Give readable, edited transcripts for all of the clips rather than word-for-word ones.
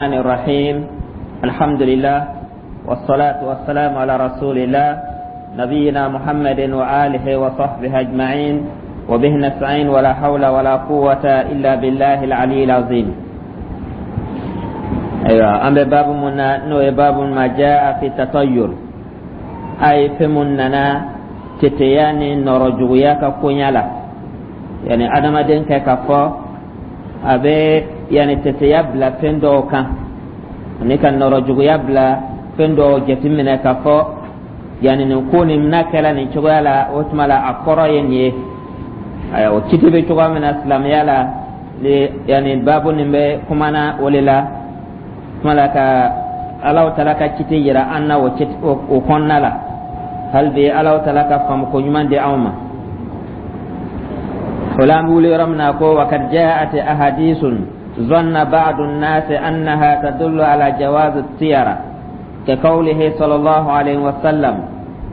الرحيم. الحمد لله والصلاة والسلام على رسول الله نبينا محمد وآله وصحبه أجمعين، وبه نستعين، ولا حول ولا قوة إلا بالله العلي العظيم. أيوة، أما باب منا نو باب ما جاء في التطير، أي في مننا teteya ni nɔrɔ juguya ka koɲa la, yani adamaden kɛ ka fɔ a bɛ yani teteya bila fɛn dɔw kan ani ka nɔrɔ juguya bila fɛn dɔw jateminɛ ka fɔ yani nin ko nin n'a kɛra nin cogoya la, o tuma la a kɔrɔ ye nin ye. Ayiwa, o kiti bɛ cogoya min na silamɛya la, yani baabu nin bɛ kumana o de la tuma la ka Alahu Taala ka kiti yira an na o kɔnɔna la. Hali bi Alahu Taala ka faamuko ɲuman di anw ma o la. An bɛ wuli yɔrɔ min na ko وقد جاءت أحاديث ظن بعض الناس أنها تدل على جواز الطيرة، كقوله صلى الله عليه وسلم: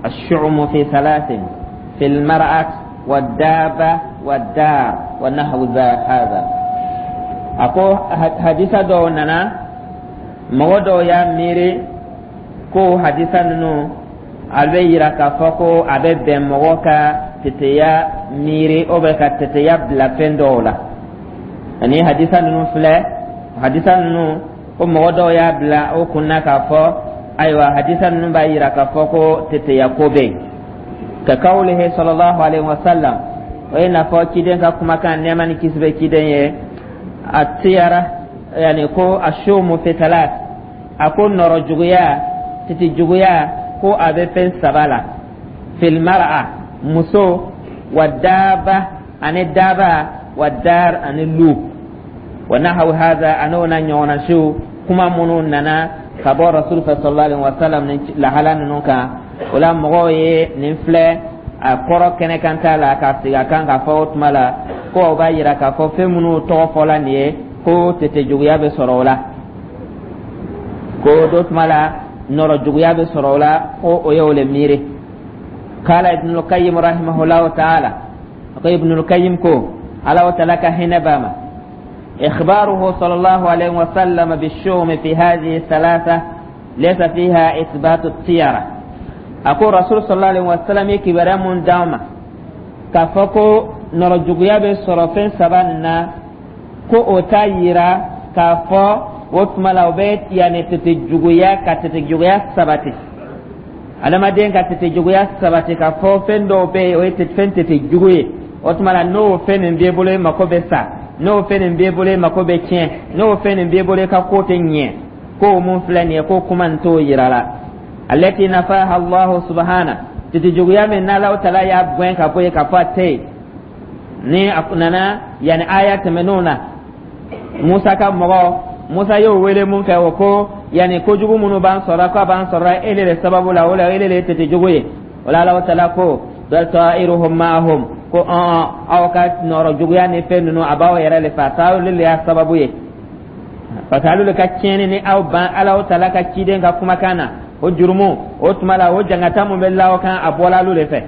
الشؤم في ثلاث، في المرأة والدابة والدار، ونحو هذا. A ko hadisa dɔw nana, mɔgɔ dɔw y'a miiri ko hadisa ninnu a bɛ yira k'a fɔ ko a bɛ bɛn mɔgɔ ka teteya miiri o bɛ ka teteya bila fɛn dɔw la. Ani hadisa ninnu filɛ, hadisa ninnu ko mɔgɔ dɔw y'a bila o kunna k'a fɔ ayiwa, hadisa ninnu b'a yira k'a fɔ ko teteya ko bɛ yen. كقوله صلى الله عليه وسلم, o ye n'a fɔ ciden ka kumakan, nɛɛma ni kisi bɛ ciden ye, الطيرة, yani ko الشؤم في ثلاث, a ko nɔrɔ juguya, titi juguya, ko a bɛ fɛn saba la: في المرأة, muso, والدابة, ani daba, والدار, ani lu, ونحو هذا, an'o na ɲɔgɔnna siw, kuma minnu nana ka bɔ Rasul fɛ صلى الله عليه وسلم ni lahala ninnu kan. O la mɔgɔw ye nin filɛ a kɔrɔ kɛnɛ kan t'a la k'a sigi a kan k'a fɔ o tuma la ko o b'a yira k'a fɔ fɛn minnu tɔgɔ fɔla nin ye ko tete juguya bɛ sɔrɔ o la, ko dɔ tuma la nɔrɔ juguya bɛ sɔrɔ o la, ko o ye o le miiri. قال ابن القيم رحمه الله تعالى, ko Ibn al-Qayyim ko, Ala Taala ka hinɛ b'a ma, إخباره صلى الله عليه وسلم بالشؤم في هذه الثلاثة ليس فيها إثبات الطيرة. A ko Rasul صلى الله عليه وسلم ye kibaruya mun d'an ma k'a fɔ ko nɔrɔ juguya bɛ sɔrɔ fɛn saba nin na, ko o t'a yira k'a fɔ o tuma la o bɛ yanni tete juguya ka tete juguya sabati, adamaden ka tete juguya sabati, k'a fɔ fɛn dɔw bɛ yen o ye fɛn tete jugu ye, o tuma la n'o fɛn nin b'e bolo, e mako bɛ sa, n'o fɛn nin b'e bolo, e mako bɛ tiɲɛ, n'o fɛn nin b'e bolo, e ka ko tɛ ɲɛ, k'o mun filɛ nin ye, ko kuma nin t'o yira la. التي نفاها الله سبحانه, tete juguya min n'Alahu Taala y'a gɛn ka bɔ yen k'a fɔ a tɛ yen, ni a nana yanni aya tɛmɛnenw na, Musa ka mɔgɔ, Musa y'o wele mun kɛ, o ko yanni kojugu minnu b'an sɔrɔ, k'a b'an sɔrɔ ele de sababu la, o la ele de ye tete jugu ye. O la Alahu Taala ko بل طائرهم معهم, ko ɔn aw ka nɔrɔ juguya ni fɛn ninnu a b'aw yɛrɛ le fɛ, a t'aw le y'a sababu ye, parce que alu le ka tiɲɛni ni aw ban Alahu Taala ka ciden ka kumakan na, o jurumu o tuma la o jangata mun bɛ la aw kan, a bɔla alu de fɛ.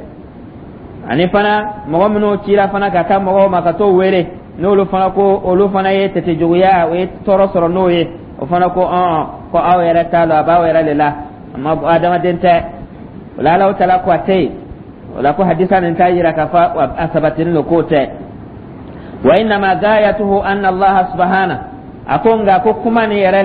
Ani fana mɔgɔ minnu cira fana ka taa mɔgɔw ma ka t'o wele, n'olu fana ko olu fana ye tete juguya, o ye tɔɔrɔ sɔrɔ n'o ye, o fana ko ɔn ko aw yɛrɛ t'a lɔn, a b'aw yɛrɛ de la, a ma adamaden tɛ. O la Alahu Taala ko a tɛ yen. O la ko hadisa nin t'a yira k'a fɔ a sabatilen don, k'o tɛ. وإنما غايته أن الله سبحانه, a ko nka ko kuma nin yɛrɛ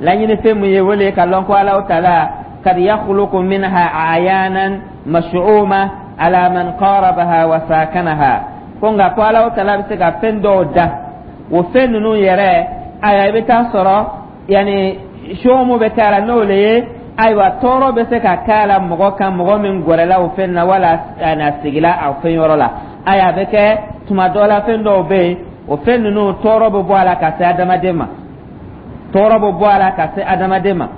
laɲini fɛn mun ye, o le ka lɔn ko Alahu Taala قد يخلق منها أعيانا مشؤومة على من قاربها وساكنها, ko nka ko Alahu Taala bɛ se ka fɛn dɔw da, o fɛn ninnu yɛrɛ, ayiwa, i bɛ taa sɔrɔ yanni sɔmu bɛ k'a la, n'o le ye ayiwa tɔɔrɔ bɛ se ka k'a la mɔgɔ kan, mɔgɔ min gɛrɛla o fɛn na wala a sigila a fɛn yɔrɔ la. Ayiwa, a bɛ kɛ tuma dɔ la fɛn dɔw bɛ yen, o fɛn ninnu tɔɔrɔ bɛ bɔ a la ka se adamaden ma, tɔɔrɔ bɛ bɔ a la ka se adamaden ma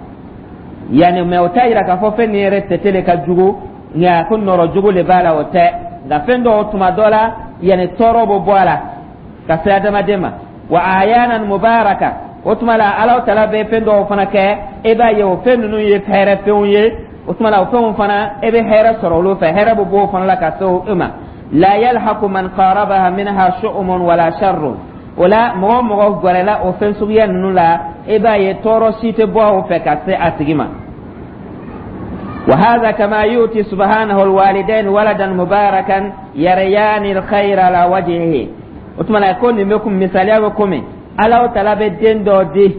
yanni, mɛ o t'a yira k'a fɔ fɛn nin yɛrɛ tɛtɛ de ka jugu, nka ko nɔrɔ jugu de b'a la, o tɛ. Nka fɛn dɔw tuma dɔ la yanni tɔɔrɔ bɛ bɔ a la ka se adamaden ma. وأعيانا مباركة, o tuma la Alahu Taala bɛ fɛn dɔw fana kɛ, e b'a ye o fɛn ninnu ye hɛrɛ fɛnw ye, o tuma la o fɛnw fana e bɛ hɛrɛ sɔrɔ olu fɛ, hɛrɛ bɛ bɔ o fana la ka se o ma. لا يلحق من قاربها منها شؤم ولا شر. O la, mɔgɔ o mɔgɔ gɛrɛla o fɛn suguya ninnu la, i b'a ye tɔɔrɔ si tɛ bɔ o fɛ ka se a tigi ma. وهذا كما يؤتي سبحانه الوالدين ولدا مباركا يريان الخير على وجهه. O tuma na, ko nin bɛ kun misaliya bɛ komi Alahu Taala bɛ den dɔ di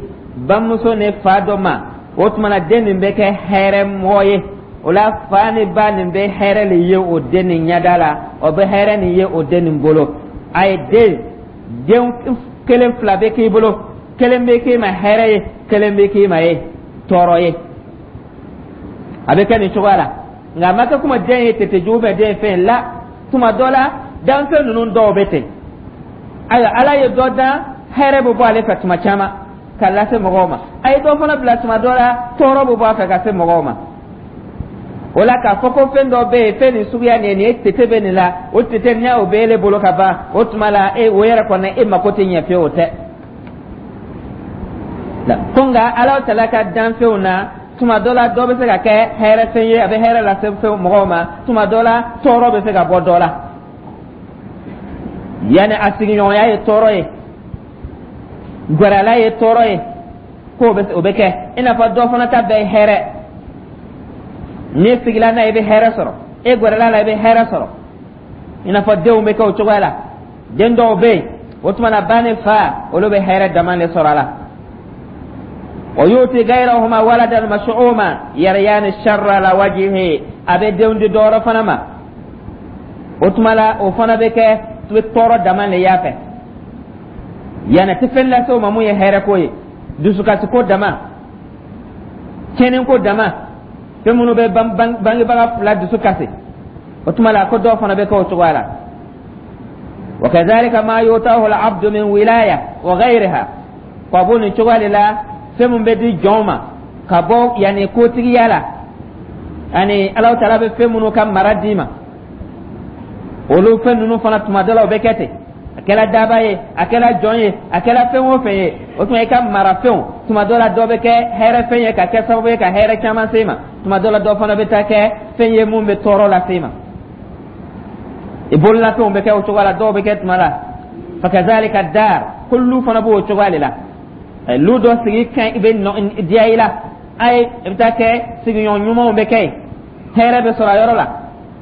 bamuso ni fa dɔ ma. O tuma na, den nin bɛ kɛ hɛrɛ mɔgɔ ye. O la, fa ni ba nin bɛ hɛrɛ le ye o den nin ɲɛda la, o bɛ hɛrɛ nin ye o den nin bolo. A ye den kelen fila bɛ k'i bolo, kelen bɛ k'i ma hɛrɛ ye, kelen bɛ k'i ma ye tɔɔrɔ ye. A bɛ kɛ nin cogoya la, nka a ma kɛ kuma den ye tete jugu bɛ den ye fɛn la. Tuma dɔ la, danfɛn ninnu dɔw bɛ ten. Ayiwa, Ala ye dɔ dan, hɛrɛ bɛ bɔ ale fɛ tuma caman ka lase mɔgɔw ma. A ye dɔ fana bila, tuma dɔ la, tɔɔrɔ bɛ bɔ a fɛ ka se mɔgɔw ma. O la, k'a fɔ ko fɛn dɔ bɛ yen, fɛn nin suguya nin ye, nin ye tete bɛ nin la, o tete n'i y'o bɛ ele bolo ka ban, o tuma la e o yɛrɛ kɔni e mako tɛ ɲɛ fiyewu, o tɛ. Ko nka Ala Taala ka danfɛnw na, tuma dɔ la, dɔ bɛ se ka kɛ hɛrɛ fɛn ye, a bɛ hɛrɛ lase fɛn mɔgɔw ma. Tuma dɔ la, tɔɔrɔ bɛ se ka bɔ dɔ la, yanni a sigiɲɔgɔnya ye tɔɔrɔ ye, gɛrɛla ye tɔɔrɔ ye, k'o bɛ o bɛ kɛ. I n'a fɔ dɔ fana ta bɛɛ ye hɛrɛ. N'i sigila n'a ye, i bɛ hɛrɛ sɔrɔ. E gɛrɛla la, i bɛ hɛrɛ sɔrɔ. I n'a fɔ denw bɛ kɛ o cogoya la. Den dɔw bɛ yen, o tuma na, ba ni fa, olu bɛ hɛrɛ dama de sɔrɔ a la. ويؤتي غيرهما ولدا مشؤوما يريان الشر على وجهه. A bɛ denw di dɔwɛrɛ fana ma, o tuma la, o fana bɛ kɛ bɛ tɔɔrɔ dama de y'a fɛ, yanni tɛ fɛn lase o ma mun ye hɛrɛ ko ye, dusukasi ko dama, tiɲɛni ko dama, fɛn minnu bɛ bangebaga fila dusu kasi. O tuma la, ko dɔw fana bɛ kɛ o cogoya la. وكذلك ما يؤتاه العبد من ولاية وغيرها. Ko a b'o nin cogoya de la, fɛn mun bɛ di jɔn ma ka bɔ yanni kotigiya la, ani Alahu Taala bɛ fɛn minnu ka mara d'i ma, olu fɛn ninnu fana, tuma dɔ la, o bɛ kɛ ten. A kɛra daba ye, a kɛra jɔn ye, a kɛra fɛn o fɛn ye, o tuma i ka marafɛnw, tuma dɔ la, dɔ bɛ kɛ hɛrɛ fɛn ye ka kɛ sababu ye ka hɛrɛ caman se i ma. Tuma dɔ la, dɔ fana bɛ taa kɛ fɛn ye mun bɛ tɔɔrɔ lase i ma. I bololafɛnw bɛ kɛ o cogoya la, dɔw bɛ kɛ tuma la. فكذلك الدار, ko lu fana b'o cogoya de la. Lu dɔ sigi kan i bɛ diya i la, ayi, i bɛ taa kɛ sigiɲɔgɔn ɲumanw bɛ kɛ yen, hɛrɛ bɛ sɔrɔ a yɔrɔ la.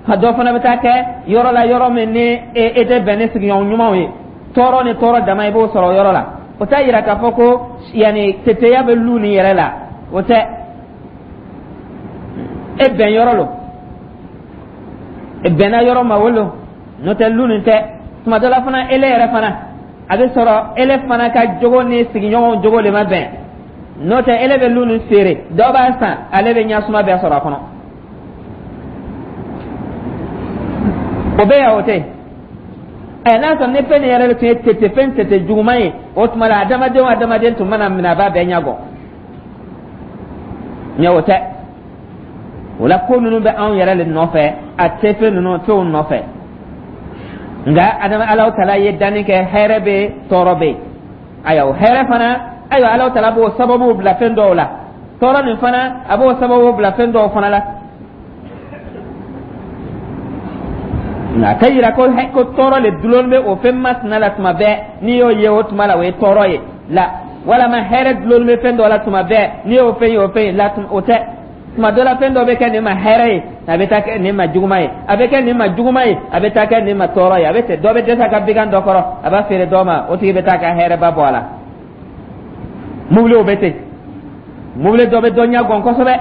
Ka dɔ fana bɛ taa kɛ yɔrɔ la, yɔrɔ min ni e tɛ bɛn ni sigiɲɔgɔn ɲumanw ye, tɔɔrɔ ni tɔɔrɔ dama i b'o sɔrɔ o yɔrɔ la. O t'a yira k'a fɔ ko yanni teteya bɛ lu nin yɛrɛ la, o tɛ. E bɛn yɔrɔ lo, e bɛnna yɔrɔ ma, o lo, n'o tɛ lu nin tɛ. Tuma dɔ la fana, ele yɛrɛ fana, a bɛ sɔrɔ ele fana ka jogo ni sigiɲɔgɔnw jogo de ma bɛn. N'o tɛ, ele bɛ lu nin feere, dɔ b'a san, ale bɛ ɲasuma bɛɛ sɔrɔ a kɔnɔ. O bɛ yan, o tɛ ɛ. N'a sɔrɔ ni fɛn nin yɛrɛ de tun ye tete fɛn tete juguman ye, o tuma la, adamaden o adamaden tun mana minɛ, a b'a bɛɛ ɲɛgɔ ɲɛ. O tɛ. O la, ko ninnu bɛ anw yɛrɛ de nɔfɛ, a tɛ fɛn ninnu fɛnw nɔfɛ. Nka adama, Alahu Taala ye danni kɛ, hɛrɛ bɛ yen, tɔɔrɔ bɛ yen. Ayiwa, o hɛrɛ fana, ayiwa, Alahu Taala b'o sababu bila fɛn dɔw la. Tɔɔrɔ nin fana, a b'o sababu bila fɛn dɔw fana la. Nka a tɛ yira ko tɔɔrɔ le dulon bɛ o fɛn masina la tuma bɛɛ. N'i y'o ye, o tuma la, o ye tɔɔrɔ ye la, walama hɛrɛ dulon bɛ fɛn dɔ la tuma bɛɛ, n'i y'o fɛn ye, o fɛn ye la, o tɛ. Tuma dɔ la, fɛn dɔ bɛ kɛ nin ma hɛrɛ ye, a bɛ taa kɛ nin ma juguman ye. A bɛ kɛ nin ma juguman ye, a bɛ taa kɛ nin ma tɔɔrɔ ye. A bɛ ten, dɔ bɛ dɛsɛ a ka bigan dɔ kɔrɔ, a b'a feere dɔ ma, o tigi bɛ taa ka hɛrɛba bɔ a la. Mobiliw bɛ ten, mobili dɔ bɛ dɔ ɲɛ gɔn kosɛbɛ,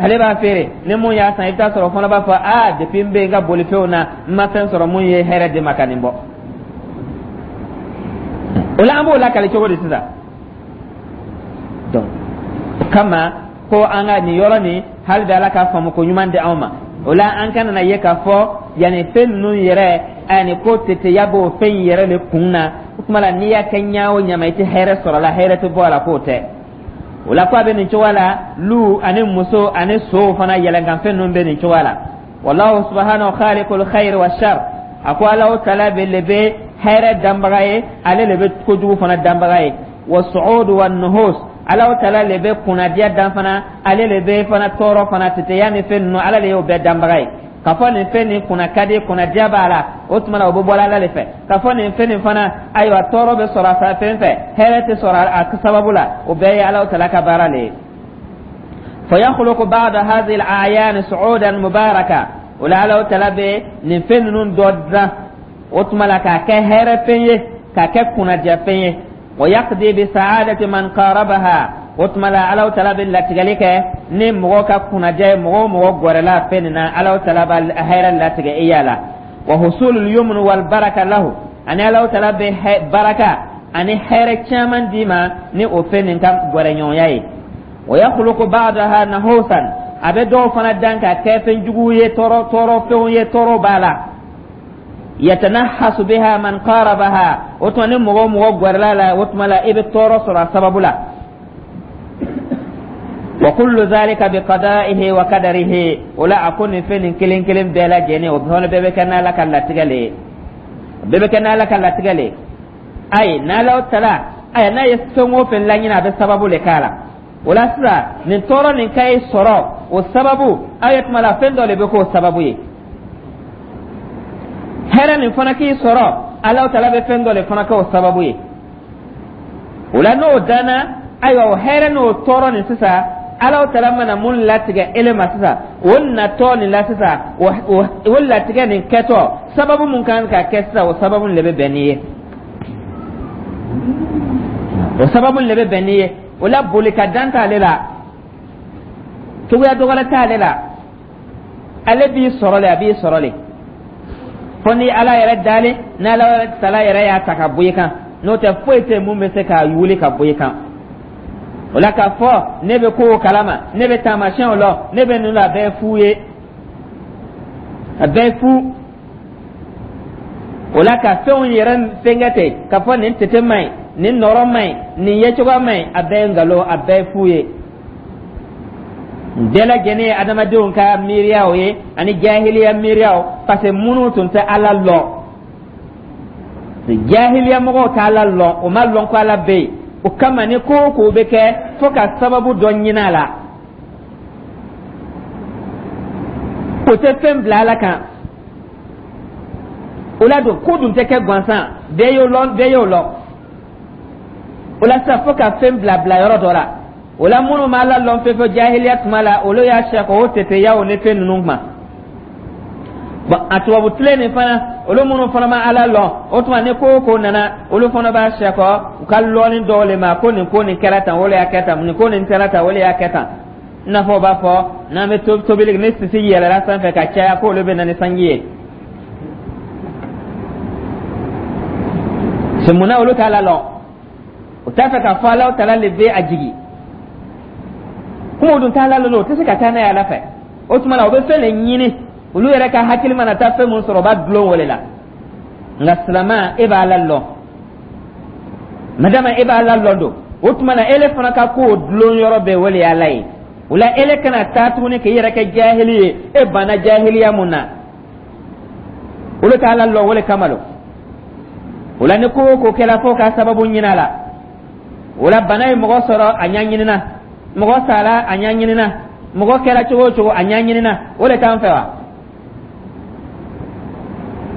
ale b'a feere, ni mun y'a san, i bɛ taa sɔrɔ o fana b'a fɔ: "Aa, depuis n bɛ n ka bolifɛnw na, n ma fɛn sɔrɔ mun ye hɛrɛ di ma ka nin bɔ." O la, an b'o lakali cogo di sisan? Donc o kama ko an ka nin yɔrɔ nin, hali bi Ala ka faamu ko ɲuman di anw ma. O la, an kana na ye k'a fɔ yanni fɛn ninnu yɛrɛ ani ko teteya b'o fɛn in yɛrɛ de kun na. O tuma la, n'i y'a kɛ ɲa o ɲa ma, i tɛ hɛrɛ sɔrɔ a la, hɛrɛ tɛ bɔ a la, k'o tɛ. O la, ko a bɛ nin cogoya la, lu ani muso ani sow fana, yɛlɛnkanfɛn ninnu bɛ nin cogoya la. والله سبحانه خالق الخير والشر. A ko Alahu Taala bɛ le bɛ hɛrɛ danbaga ye, ale le bɛ kojugu fana danbaga ye. والسعود والنحوس, Alahu Taala le bɛ kunnadiya dan fana, ale le bɛ fana tɔɔrɔ fana, teteya ni fɛn ninnu, Ala le y'o bɛɛ danbaga ye. K'a fɔ nin fɛn nin kunna ka di, kunnadiya b'a la, o tuma na o bɛ bɔla Ala le fɛ. K'a fɔ nin fɛn nin fana, ayiwa, tɔɔrɔ bɛ sɔrɔ a fɛn fɛ, hɛrɛ tɛ sɔrɔ a sababu la, o bɛɛ ye Ala tala ka baara le ye. فيخلق بعض هذه الأعيان صعودا مباركة. O la Ala tala bɛ nin fɛn ninnu dɔ dilan, o tuma la k'a kɛ hɛrɛ fɛn ye, k'a kɛ kunnadiya fɛn ye. ويقضي بسعادة من قاربها. O tuma la Ala tala bɛ latigɛli kɛ ni mɔgɔ ka kunnadiya ye. Mɔgɔ o mɔgɔ gɛrɛla fɛn nin na, Ala tala b'a hɛrɛ latigɛ i y'a la. وحصول اليمن والبركة له. Ani Ala tala bɛ baraka ani hɛrɛ caman d'i ma ni o fɛn nin ka gɛrɛɲɔgɔnya ye. ويخلق بعضها نحوسا. A bɛ dɔw fana dan ka kɛ fɛn jugu ye, tɔɔrɔ tɔɔrɔ fɛnw ye, tɔɔrɔ b'a la. يتنحس بها من قاربها. O tuma ni mɔgɔ o mɔgɔ gɛrɛla la, o tuma la i bɛ tɔɔrɔ sɔrɔ a sababu la. وكل ذلك بقضائه وقدره. O la a ko nin fɛn nin kelen kelen bɛɛ lajɛlen, o fana bɛɛ bɛ kɛ n'Ala ka latigɛ le ye, bɛɛ bɛ kɛ n'Ala ka latigɛ le ye. Ayi, n'Ala tala, ayi, n'a ye fɛn o fɛn laɲini, a bɛ sababu le k'a la. O la sisan, nin tɔɔrɔ nin ka ye sɔrɔ, o sababu, aw ye tuma la fɛn dɔ de bɛ k'o sababu ye. Hɛrɛ nin fana k'i sɔrɔ, Ala tala bɛ fɛn dɔ de fana k'o sababu ye. O la n'o danna, ayiwa, o hɛrɛ n'o tɔɔrɔ nin sisan, Ala tala mana mun latigɛ ele ma sisan, o natɔ nin la sisan, o latigɛ nin kɛtɔ, sababu mun kan ka kɛ sisan, o sababu nin de bɛ bɛn n'i ye, o sababu nin de bɛ bɛn n'i ye. O la boli ka dan t'ale la, cogoya dɔgɔrɛ t'ale la. Ale b'i sɔrɔ le, a b'i sɔrɔ le, fo ni Ala yɛrɛ dalen, n'Ala tala yɛrɛ y'a ta ka bɔ i kan. N'o tɛ, foyi tɛ mun bɛ se k'a wuli ka bɔ i kan. O la k'a fɔ ne bɛ kow kalama, ne bɛ taamasiyɛnw lɔ, ne bɛ ninnu la, a bɛɛ ye fu ye, a bɛɛ ye fu. O la ka fɛnw yɛrɛ fɛnkɛ ten k'a fɔ nin tete man ɲi, nin nɔrɔ man ɲi, nin yecogoya man ɲi, a bɛɛ ye nkalon, a bɛɛ ye fu ye. Bɛɛ lajɛlen ye adamadenw ka miiriyaw ye ani jahiliya miiriyaw, parce que minnu tun tɛ Ala lɔn, jahiliya mɔgɔw tɛ Ala lɔn, o ma lɔn ko Ala bɛ yen. O kama ni ko o ko bɛ kɛ, fo ka sababu dɔ ɲini a la. O tɛ fɛn bila Ala kan. O la don ko dun tɛ kɛ gansan, bɛɛ y'o lɔn, bɛɛ y'o lɔn. O la sisan, fo ka fɛn bila bila yɔrɔ dɔ la. O la minnu ma Ala lɔn fɛn fɛn jahiliya tuma la, olu y'a sɛkɔ o teteyaw ni fɛn ninnu ma. Bon, a tubabu tile nin fana, olu minnu fana ma Ala lɔn, o tuma ni ko o ko nana, olu fana b'a sɛkɔ u ka lɔnni dɔw le ma ko nin ko nin kɛra tan, o le y'a kɛ tan, nin ko nin kɛra tan, o le y'a kɛ tan. I n'a fɔ u b'a fɔ n'an bɛ tobili, ni sisi yɛlɛla sanfɛ ka caya, k'olu bɛ na ni sanji ye. C'est munna olu t'Ala lɔn? O t'a fɛ k'a fɔ Ala tala le bɛ a jigi. Kuma o dun t'Ala lɔn, o tɛ se ka taa n'a ye Ala fɛ. O tuma la o bɛ fɛn de ɲini, olu yɛrɛ ka hakili mana taa fɛn mun sɔrɔ, o b'a dulon o de la. Nka silama, e b'Ala lɔn. Madama e b'Ala lɔn don, o tuma na ele fana ka kow dulon yɔrɔ bɛɛ, o de ye Ala ye. O la ele kana taa tuguni k'i yɛrɛ kɛ jahili ye. E banna jahiliya mun na, olu t'Ala lɔn, o de kama don. O la ni ko o ko kɛra, fo ka sababu ɲini a la. O la bana ye mɔgɔ sɔrɔ, a ɲɛɲinina. Mɔgɔ sara, a ɲɛɲinina. Mɔgɔ kɛra cogo o cogo, a ɲɛɲinina. O de t'an fɛ wa?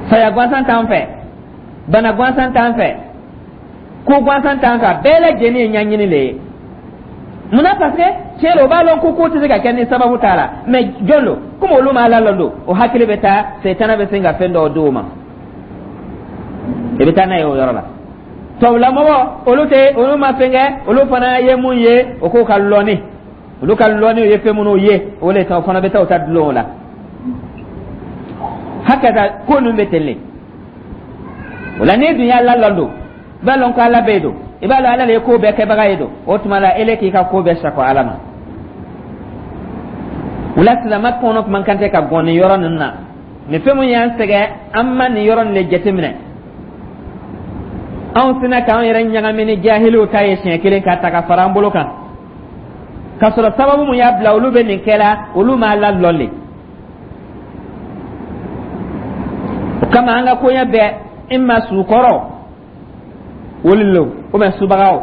Saya gansan t'an fɛ, bana gansan t'an fɛ, ko gansan t'an fɛ. A bɛɛ lajɛlen ye ɲɛɲini le ye. Munna? Parce que tiɲɛ la, o b'a lɔn ko ko tɛ se ka kɛ ni sababu t'a la. Mais jɔn don? Komi olu ma Ala lɔn don, o hakili bɛ taa, setana bɛ se ka fɛn dɔw d'o ma, i bɛ taa n'a ye o yɔrɔ la. Tubabulamɔgɔ, olu tɛ, olu ma fɛn kɛ, olu fana ye mun ye, o k'o ka lɔnni, olu ka lɔnni ye fɛn minnu ye, o de ta o fana bɛ taa o ta dulon o la. Hakɛta ko ninnu bɛ ten le. O la n'i dun y'Ala lɔn don, i b'a lɔn ko Ala bɛ yen don, i b'a lɔn Ala de ye ko bɛɛ kɛbaga ye don, o tuma la ele k'i ka ko bɛɛ sakɔ Ala ma. O la silamɛ kɔnɔ man kan tɛ ka gɔn nin yɔrɔ ninnu na. Nin fɛn mun y'an sɛgɛn, an ma nin yɔrɔ nin de jateminɛ. Anw sina k'an yɛrɛ ɲagami ni jahiliw ta ye siɲɛ kelen ka ta ka fara an bolo kan, k'a sɔrɔ sababu mun y'a bila olu bɛ nin kɛla, olu ma Ala lɔn le. O kama an ka koɲɛ bɛɛ imma sukɔrɔ woli lo, ou bien subagaw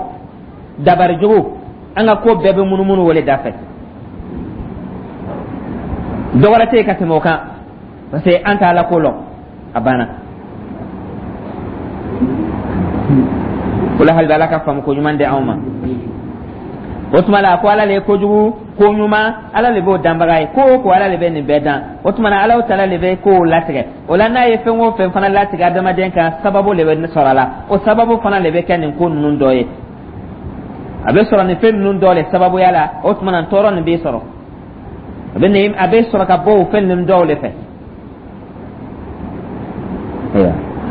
dabari jugu, an ka ko bɛɛ bɛ munumunu o le da fɛ. Dɔ wɛrɛ tɛ yen ka tɛmɛ o kan. Parce que an t'Ala ko lɔn, a banna. O la, hali bi, Ala ka faamu ko ɲuman di anw ma. O tuma la, a ko Ala le ye kojugu ko ɲuman, Ala le b'o danbaga ye. Ko o ko, Ala le bɛ nin bɛɛ dan. O tuma na, Ala taala le bɛ kow latigɛ. O la, n'a ye fɛn o fɛn fana latigɛ adamaden kan, sababu le bɛ sɔrɔ a la. O sababu fana le bɛ kɛ nin ko ninnu dɔ ye. A bɛ sɔrɔ nin fɛn ninnu dɔ le sababuya la. O tuma na, tɔɔrɔ nin b'i sɔrɔ, a bɛ sɔrɔ ka bɔ o fɛn ninnu dɔw le fɛ.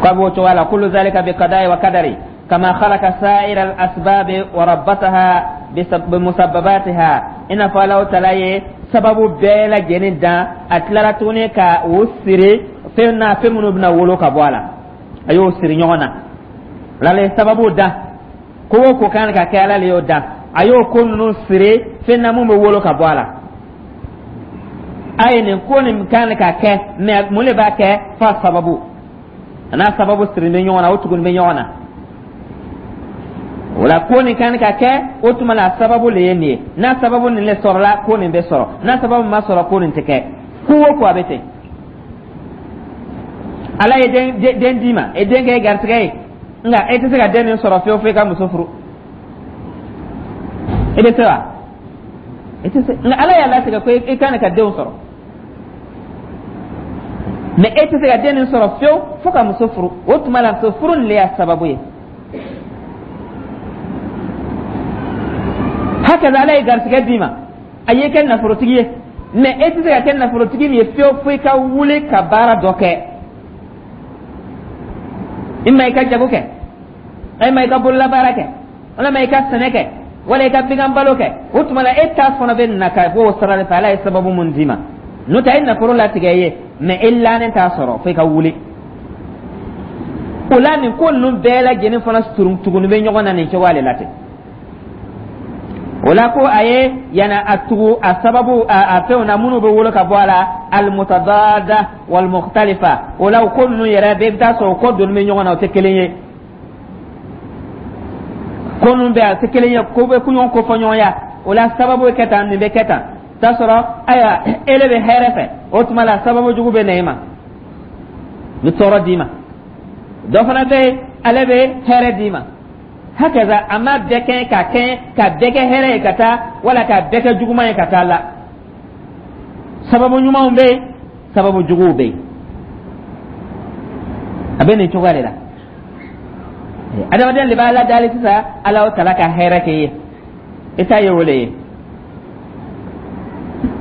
K'a b'o cogoya la. Kullu zalika bi qada'i wa qadari, kama khalaqa sa'ira al-asbab wa rabbataha bi musabbabatiha. I n'a fɔ Alahu taala ye sababu bɛɛ lajɛlen dan, a tilara tuguni ka o siri fɛn na, fɛn minnu bɛna wolo ka bɔ a la, a y'o siri ɲɔgɔn na. Ala ye sababu dan, ko o ko kan ka kɛ, Ala le y'o dan. A y'o ko ninnu siri fɛn na mun bɛ wolo ka bɔ a la. A ye nin ko nin kan ka kɛ, mɛ mun de b'a kɛ f'a sababu? A n'a sababu siri bɛ ɲɔgɔn na, o tuguni bɛ ɲɔgɔn na. O la, ko nin kan ka kɛ, o tuma la, sababu le ye nin ye. N'a sababu nin le sɔrɔla, ko nin bɛ sɔrɔ. N'a sababu ma sɔrɔ, ko nin tɛ kɛ. Ko o ko, a bɛ ten. Ala ye den d'i ma, e den kɛ garisɛgɛ ye, nka e tɛ se ka den nin sɔrɔ fiyewu fo i ka muso furu. E bɛ se wa? E tɛ se. Nka Ala y'a latigɛ ko i kan ka denw sɔrɔ, mɛ e tɛ se ka den nin sɔrɔ fiyewu fo ka muso furu. O tuma la, muso furu nin le y'a sababu ye. Hakaza, Ala ye garisɛgɛ d'i ma, a y'i kɛ nafolotigi ye, mɛ e tɛ se ka kɛ nafolotigi min ye fiyewu fo i ka wuli ka baara dɔ kɛ. I ma i ka jago kɛ, i ma i ka bololabaara kɛ, walima i ka sɛnɛ kɛ, wala i ka bagan balo kɛ. O tuma la, e ta fana bɛ na ka bɔ o sira de fɛ, Ala ye sababu mun d'i ma. N'o tɛ, a ye nafolo latigɛ i ye, mɛ e lannen t'a sɔrɔ fo i ka wuli. O la, nin ko ninnu bɛɛ lajɛlen fana tuguni bɛ ɲɔgɔn na nin cogoya de la ten. O la, ko a ye yana a tugu a sababu a fɛnw na minnu bɛ wolo ka bɔ a la, almutadada walmukhtalifa. O la, o ko ninnu yɛrɛ bɛɛ, i bɛ taa sɔrɔ o ko donni bɛ ɲɔgɔn na, o tɛ kelen ye. Ko ninnu bɛɛ, a tɛ kelen ye, ko bɛ ɲɔgɔn ko fɔ ɲɔgɔnya. O la, sababu bɛ kɛ tan, nin bɛ kɛ tan. T'a sɔrɔ, ayiwa, e le bɛ hɛrɛ fɛ, o tuma la, sababu jugu bɛ na e ma, ni tɔɔrɔ d'i ma. Dɔ fana bɛ yen, ale bɛ hɛrɛ d'i ma. Hakaza, a ma bɛɛ kɛ ka bɛɛ kɛ hɛrɛ ye ka taa, wala ka bɛɛ kɛ juguman ye ka taa la. Sababu ɲumanw bɛ yen, sababu juguw bɛ yen. A bɛ nin cogoya de la. Adamaden de b'a ladali sisan, Ala tala ka hɛrɛ kɛ ye, i ta ye o le ye.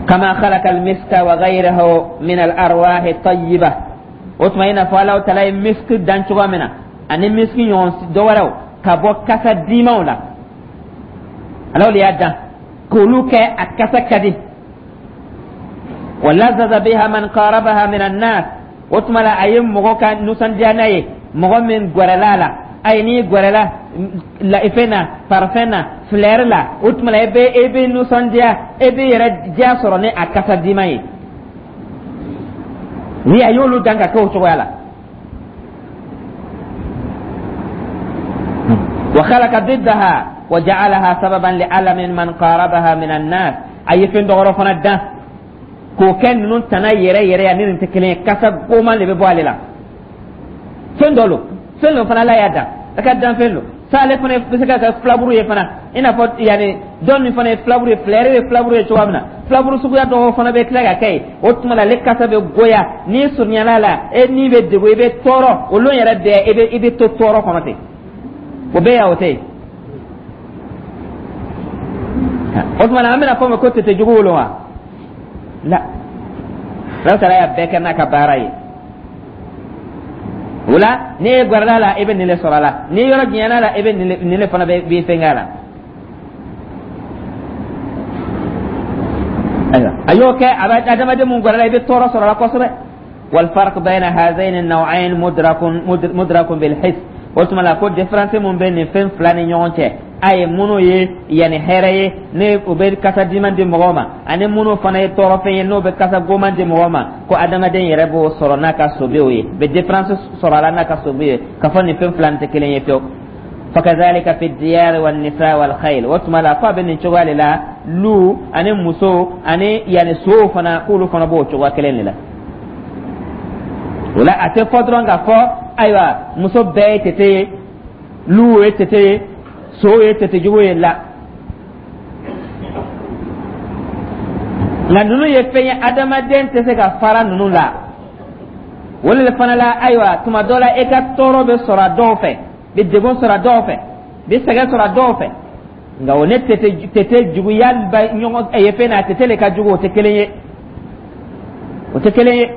Kama khalaqa almiska wa ghayrahu min al-arwahi tayyiba. O tuma, i n'a fɔ Ala tala ye miski dan cogoya min na, ani miski ɲɔgɔn dɔ wɛrɛw ka bɔ kasa dimanw la, Ala de y'a dan k'olu kɛ a kasa ka di. Wa lazaza biha man qarabaha min annas. O tuma la, a ye mɔgɔ ka nisɔndiya n'a ye, mɔgɔ min gɛrɛla a la. Ayi, n'i gɛrɛla la fɛn na, parfum na, fleur la, o tuma la, e bɛ nisɔndiya, e bɛ yɛrɛ diya sɔrɔ ni a kasa diman ye. Ni a y'olu dan ka kɛ o cogoya la. Wa khalaqa diddaha wa ja'alaha sababan li alamin man qarabaha min an-nas. A ye fɛn dɔgɔrɔ fana dan k'o kɛ ninnu tana yɛrɛ yɛrɛ ya, ni nin tɛ kelen ye. Kasa goman de bɛ bɔ ale la. Fɛn dɔ lo, fɛn dɔ fana, Ala y'a dan a ka dan fɛn lo sa. Ale fana bɛ se ka kɛ filaburu ye fana, i n'a fɔ yanni dɔ min fana ye filaburu ye, fleur ye filaburu ye cogoya min na, filaburu suguya dɔw fana bɛ tila ka kɛ yen. O tuma la, ale kasa bɛ goya. N'i surunyana la, e ni bɛ degun, i bɛ tɔɔrɔ. O lon yɛrɛ bɛɛ, i bɛ to tɔɔrɔ kɔnɔ ten. O bɛɛ yan, o tɛ yen. O tuma na, an bɛna fɔ ma ko tete jugu wolo wa la. Ala taala y'a bɛɛ kɛ n'a ka baara ye. O la, n'i ye gɛrɛla la, i bɛ nin le sɔrɔ a la. N'i yɔrɔ janyana la, i bɛ nin le fana bɛ b'i fɛnkɛ a la. Ayiwa, a y'o kɛ, a bɛ adamaden mun gɛrɛla, i bɛ tɔɔrɔ sɔrɔ a la kosɛbɛ. Walfarq bayna hazaini naw'ain mudrakun bil his. O tuma la, ko différence mun bɛ nin fɛn fila ni ɲɔgɔn cɛ, a ye minnu ye yanni hɛrɛ ye, ni o bɛ kasa diman di mɔgɔw ma, ani minnu fana ye tɔɔrɔfɛn ye, n'o bɛ kasa goman di mɔgɔw ma, ko adamaden yɛrɛ b'o sɔrɔ n'a ka sobew ye, bɛ différence sɔrɔ a la n'a ka sobe ye, k'a fɔ nin fɛn fila nin tɛ kelen ye fiyewu. Fakadhalika fi diyari wan nisa wal khayl. O tuma la, k'a bɛ nin cogoya de la, lu ani muso ani yanni sow fana, k'olu fana b'o cogoya kelen de la. O la, a tɛ fɔ dɔrɔn k'a fɔ ayiwa, muso bɛɛ ye tete ye, luw ye tete ye, sow ye tete jugu ye la. Nka ninnu ye fɛn ye, adamaden tɛ se ka fara ninnu la. O de fana la, ayiwa, tuma dɔ la, e ka tɔɔrɔ bɛ sɔrɔ a dɔw fɛ, bɛ degun sɔrɔ a dɔw fɛ, bɛ sɛgɛn sɔrɔ a dɔw fɛ. Nka o ne tete juguya ba ɲɔgɔn ye fɛn na, a tete le ka jugu, o tɛ kelen ye, o tɛ kelen ye.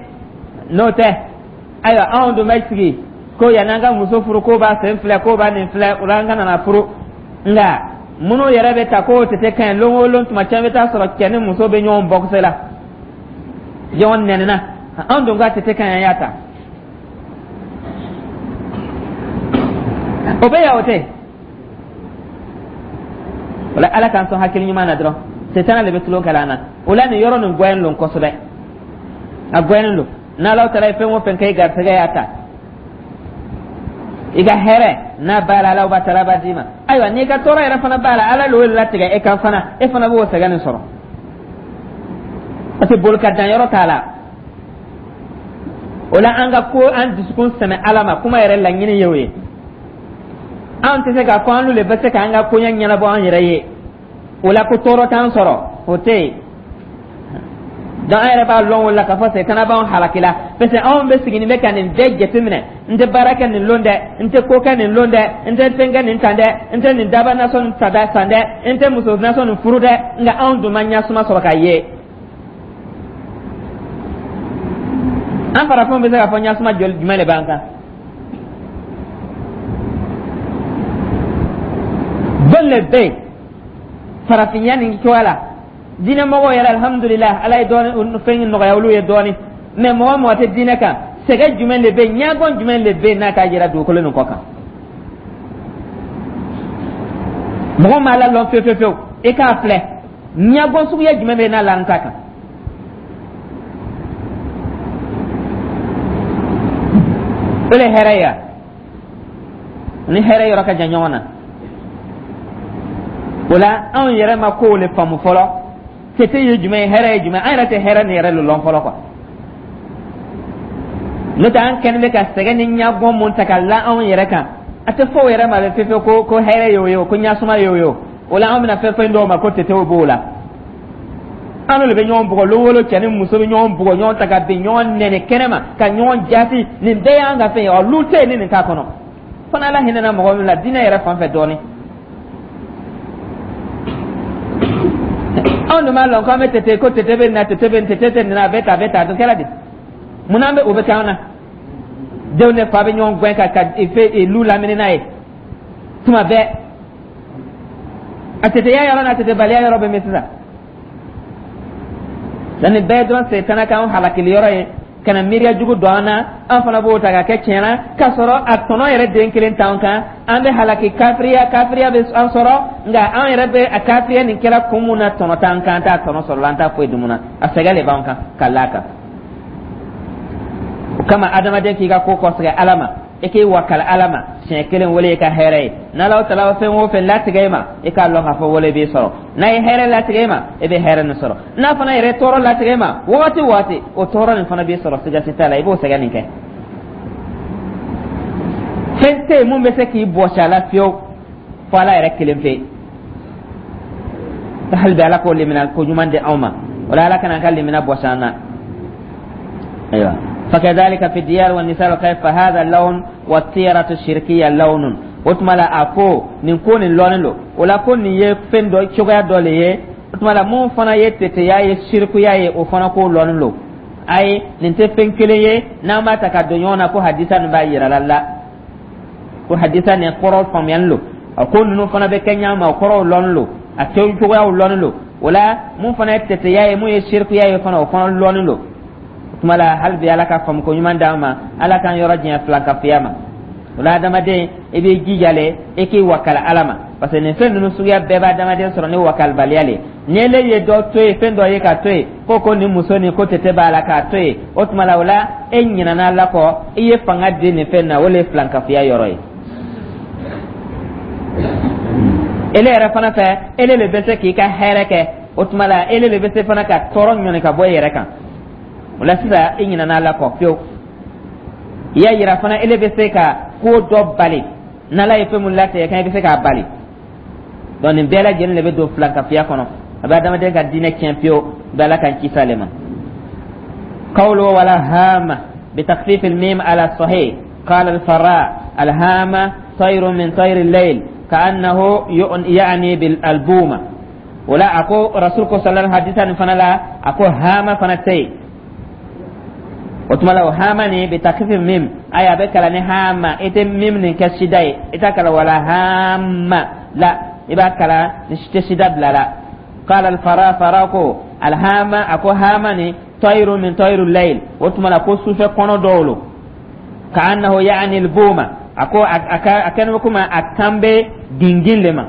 N'o tɛ, ayiwa, anw dun bɛ sigi ko yanni an ka muso furu, ko b'a sen filɛ, ko b'a nin filɛ, o la an ka nana furu. Nka minnu yɛrɛ bɛ ta k'o tete ka ɲi, lon o lon, tuma caman bɛ taa sɔrɔ cɛ ni muso bɛ ɲɔgɔn bɔkisɛ la, ɲɔgɔn nɛnina. Anw dun ka tete ka ɲi, an y'a ta. O bɛ yan, o tɛ. O la, Ala k'an sɔn hakili ɲuman na dɔrɔn. Setana de bɛ tulon kɛla an na. O la, nin yɔrɔ nin gɔyɛn lon kosɛbɛ, a gɔyɛnnen don. N'Ala taala ye fɛn o fɛn kɛ i garisɛgɛ y'a ta, i ka hɛrɛ n'a b'a la, Ala b'a taala b'a d'i ma. Ayiwa, n'i ka tɔɔrɔ yɛrɛ fana b'a la, Ala l'o latigɛ e kan fana, e fana b'o sɛgɛn nin sɔrɔ, parce que boli ka dan yɔrɔ t'a la. O la, an ka ko an dusukun sɛmɛ Ala ma, kuma yɛrɛ laɲini ye o ye. An tɛ se k'a fɔ an le bɛ se k'an ka koɲɛ ɲɛnabɔ an yɛrɛ ye, o la ko tɔɔrɔ t'an sɔrɔ, o tɛ yen. Donc an yɛrɛ b'a lɔn o la k'a fɔ setana b'anw halaki la, parce que anw bɛ siginin bɛ ka nin bɛɛ jateminɛ: n tɛ baara kɛ nin lon dɛ, n tɛ ko kɛ nin lon dɛ, n tɛ fɛn kɛ nin tan dɛ, n tɛ nin daba nasɔn nin ta san dɛ, n tɛ muso nasɔn nin furu dɛ. Nka anw dun ma ɲasuma sɔrɔ k'a ye. An farafinw bɛ se k'a fɔ ɲasuma joli jumɛn de b'an kan? Jɔn de bɛ yen farafinya nin cogoya la? Diinɛmɔgɔw yɛrɛ, alhamdulilah, Ala ye dɔɔni fɛn nɔgɔya olu ye dɔɔni. Mɛ mɔgɔ mɔgɔ tɛ diinɛ kan, sɛgɛ jumɛn de bɛ yen, ɲɛgɔn jumɛn de bɛ yen n'a k'a jira dugukolo nin kɔ kan? Mɔgɔ ma Ala lɔn fewu fewu fewu, i k'a filɛ, ɲɛgɔn suguya jumɛn bɛ yen n'a la n ta kan? O de hɛrɛ ye ni hɛrɛ yɔrɔ ka jan ɲɔgɔn na. O la, anw yɛrɛ ma kow le faamu fɔlɔ. Tete ye jumɛn ye, hɛrɛ ye jumɛn? An yɛrɛ tɛ hɛrɛ ni yɛrɛ le lɔn fɔlɔ quoi. N'o tɛ, an kɛlen bɛ ka sɛgɛn ni ɲagɔn mun ta ka la anw yɛrɛ kan, a tɛ fɔ o yɛrɛ ma bɛ fefe ko hɛrɛ ye o ye, ko ɲasuma ye o ye. O la, an bɛna fɛn fɛn dɔw ma ko tetew b'o la. An n'olu bɛ ɲɔgɔn bugɔ lon o lon, cɛ ni muso bɛ ɲɔgɔn bugɔ, ɲɔgɔn ta ka bin, ɲɔgɔn nɛni kɛnɛ ma, ka ɲɔgɔn jaasi. Nin bɛɛ y'an ka fɛn ye. Ɔ, lu tɛ yen ni nin t'a kɔnɔ fana. Ala hinɛna mɔgɔ min la diinɛ yɛrɛ fan fɛ dɔɔnin. Anw dun b'a lɔn k'an bɛ tete, ko tete bɛ na, tete bɛ tete tɛ nin na, a bɛ tan, a bɛ tan, a dun kɛra di? Munna an bɛ o bɛ kɛ an na? Denw ni fa bɛ ɲɔgɔn gɛn ka fe lu lamini n'a ye tuma bɛɛ. A teteya yɔrɔ n'a tetebaliya yɔrɔ bɛ min sisan? Nin bɛɛ dɔrɔn setana k'an halakili yɔrɔ ye, ka na miiriya jugu don an na. An fana b'o ta ka kɛ tiɲɛ na, k'a sɔrɔ a tɔnɔ yɛrɛ den kelen t'an kan. An bɛ halaki, kafiriya, kafiriya bɛ an sɔrɔ. Nka an yɛrɛ bɛ a kafiriya nin kɛra kun mun na, tɔnɔ t'an kan, an t'a tɔnɔ sɔrɔ la, an t'a foyi dun na, a sɛgɛn de b'an kan ka l'a kan. O kama, adamaden k'i ka ko kɔsɛgɛ Ala ma, i k'i wakali Ala ma siɲɛ kelen, wele i ka hɛrɛ ye. N'Ala taala fɛn o fɛn latigɛ i ma, i k'a lɔn k'a fɔ wele b'i sɔrɔ. N'a ye hɛrɛ latigɛ i ma, i bɛ hɛrɛ nin sɔrɔ. N'a fana yɛrɛ tɔɔrɔ latigɛ i ma wagati o wagati, o tɔɔrɔ nin fana b'i sɔrɔ, siga si t'a la, i b'o sɛgɛn nin kɛ. Fɛn tɛ yen mun bɛ se k'i bɔsi a la fiyewu, fo Ala yɛrɛ kelen pe. Hali bi, Ala k'o limina ko ɲuman di anw ma. O la, Ala kana an ka limina bɔsi an na. Ayiwa, fakadhalika fi diyar wa nisa wa fa hadha lawn wa tiyaratu shirkiya lawnun. O tuma la, a ko nin ko nin lɔnnen don. O la, ko nin ye fɛn dɔ cogoya dɔ le ye. O tuma la, mun fana ye teteya ye, sirikuya ye, o fana ko lɔnnen don. Ayi, nin tɛ fɛn kelen ye n'an b'a ta ka don ɲɔgɔn na ko hadisa nin b'a yira la la, ko hadisa nin kɔrɔ faamuyali don. A ko ninnu fana bɛ kɛ ɲa ma, o kɔrɔw lɔnnen don, a cogoyaw lɔnnen don. O la, mun fana ye teteya ye, mun ye sirikuya ye fana, o fana lɔnnen don. O tuma la, hali bi, Ala ka faamuko ɲuman d'an ma, Ala k'an yɔrɔ janya filankafoya ma. O la, adamaden, i b'i jija le, i k'i wakali Ala ma, parce que nin fɛn ninnu suguya bɛɛ bɛ adamaden sɔrɔ ni wakalibaliya le. Ni ele ye dɔ to yen, fɛn dɔ ye ka to yen, ko nin muso nin ko tete b'a la, k'a to yen, o tuma la, o la e ɲinɛna Ala kɔ, i ye fanga di nin fɛn na, o le ye filankafoya yɔrɔ ye. Ele yɛrɛ fana fɛ, ele le bɛ se k'i ka hɛrɛ kɛ. O tuma la, ele le bɛ se fana ka tɔɔrɔ ɲɔni ka bɔ i yɛrɛ kan. O la sisan, i ɲinɛna Ala kɔ fiyewu. I y'a yira fana ele bɛ se ka ko dɔ bali n'Ala ye fɛn mun latigɛ kan, i bɛ se k'a bali. Donc nin bɛɛ lajɛlen de bɛ don filankafiya kɔnɔ, a bɛ adamaden ka diinɛ tiɲɛ pewu. Bɛ Ala k'an kisi ale ma. قوله ولا هامة بتخفيف الميم على الصحيح. قال الفراء: الهامة طير من طير الليل، كأنه يعني بالبومة. ولا أكو رسولك صلى الله عليه وسلم فانا لا أكو هامة فانا o tuma la, o hama ni bi takfifi mim, ayi, a bɛ kalan ni hama, i tɛ mim nin kɛ sida ye, i t'a kalan wala hama la, i b'a kalan ni tɛ sida bila la. قال الفراء, fara ko alhama, a ko hama ni طير من طير الليل, o tuma la ko sufɛ kɔnɔ dɔw lo, كأنه يعني البومة, a ko a kɛnɛ bɛ komi a kan bɛ gingin le ma,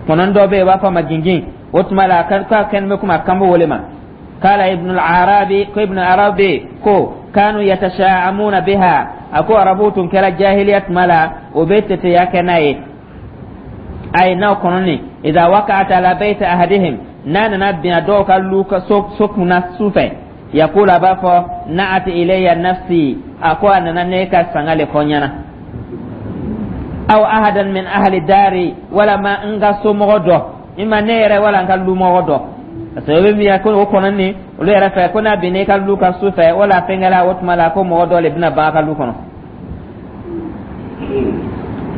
kɔnɔ dɔ bɛ yen, u b'a fɔ a ma gingin. O tuma la a kɛnɛ bɛ komi a kan bɛ o le ma. قال ابن العربي, ko ابن العربي ko كانوا يتشاءمون بها, a ko arabu tun kɛra jahiliya tuma la, o bɛ teteya kɛ n'a ye, ay n'aw kɔnɔni إذا وقعت على بيت أحدهم, n'a nana bin a dɔw ka lu ka so kunna su fɛ, يقول, a b'a fɔ نأت إلي نفسي, a ko a nana ne ka sanga le fɔ n ɲɛna, أو أحدا من أهل داري, walama n ka somɔgɔ dɔ, ima ne yɛrɛ wala n ka lumɔgɔ dɔ, parce que o bɛ min ko o kɔnɔ ni olu yɛrɛ fɛ, ko n'a binna i ka lu kan su fɛ wala fɛnkɛla, o tuma la ko mɔgɔ dɔ le bɛna ban a ka lu kɔnɔ.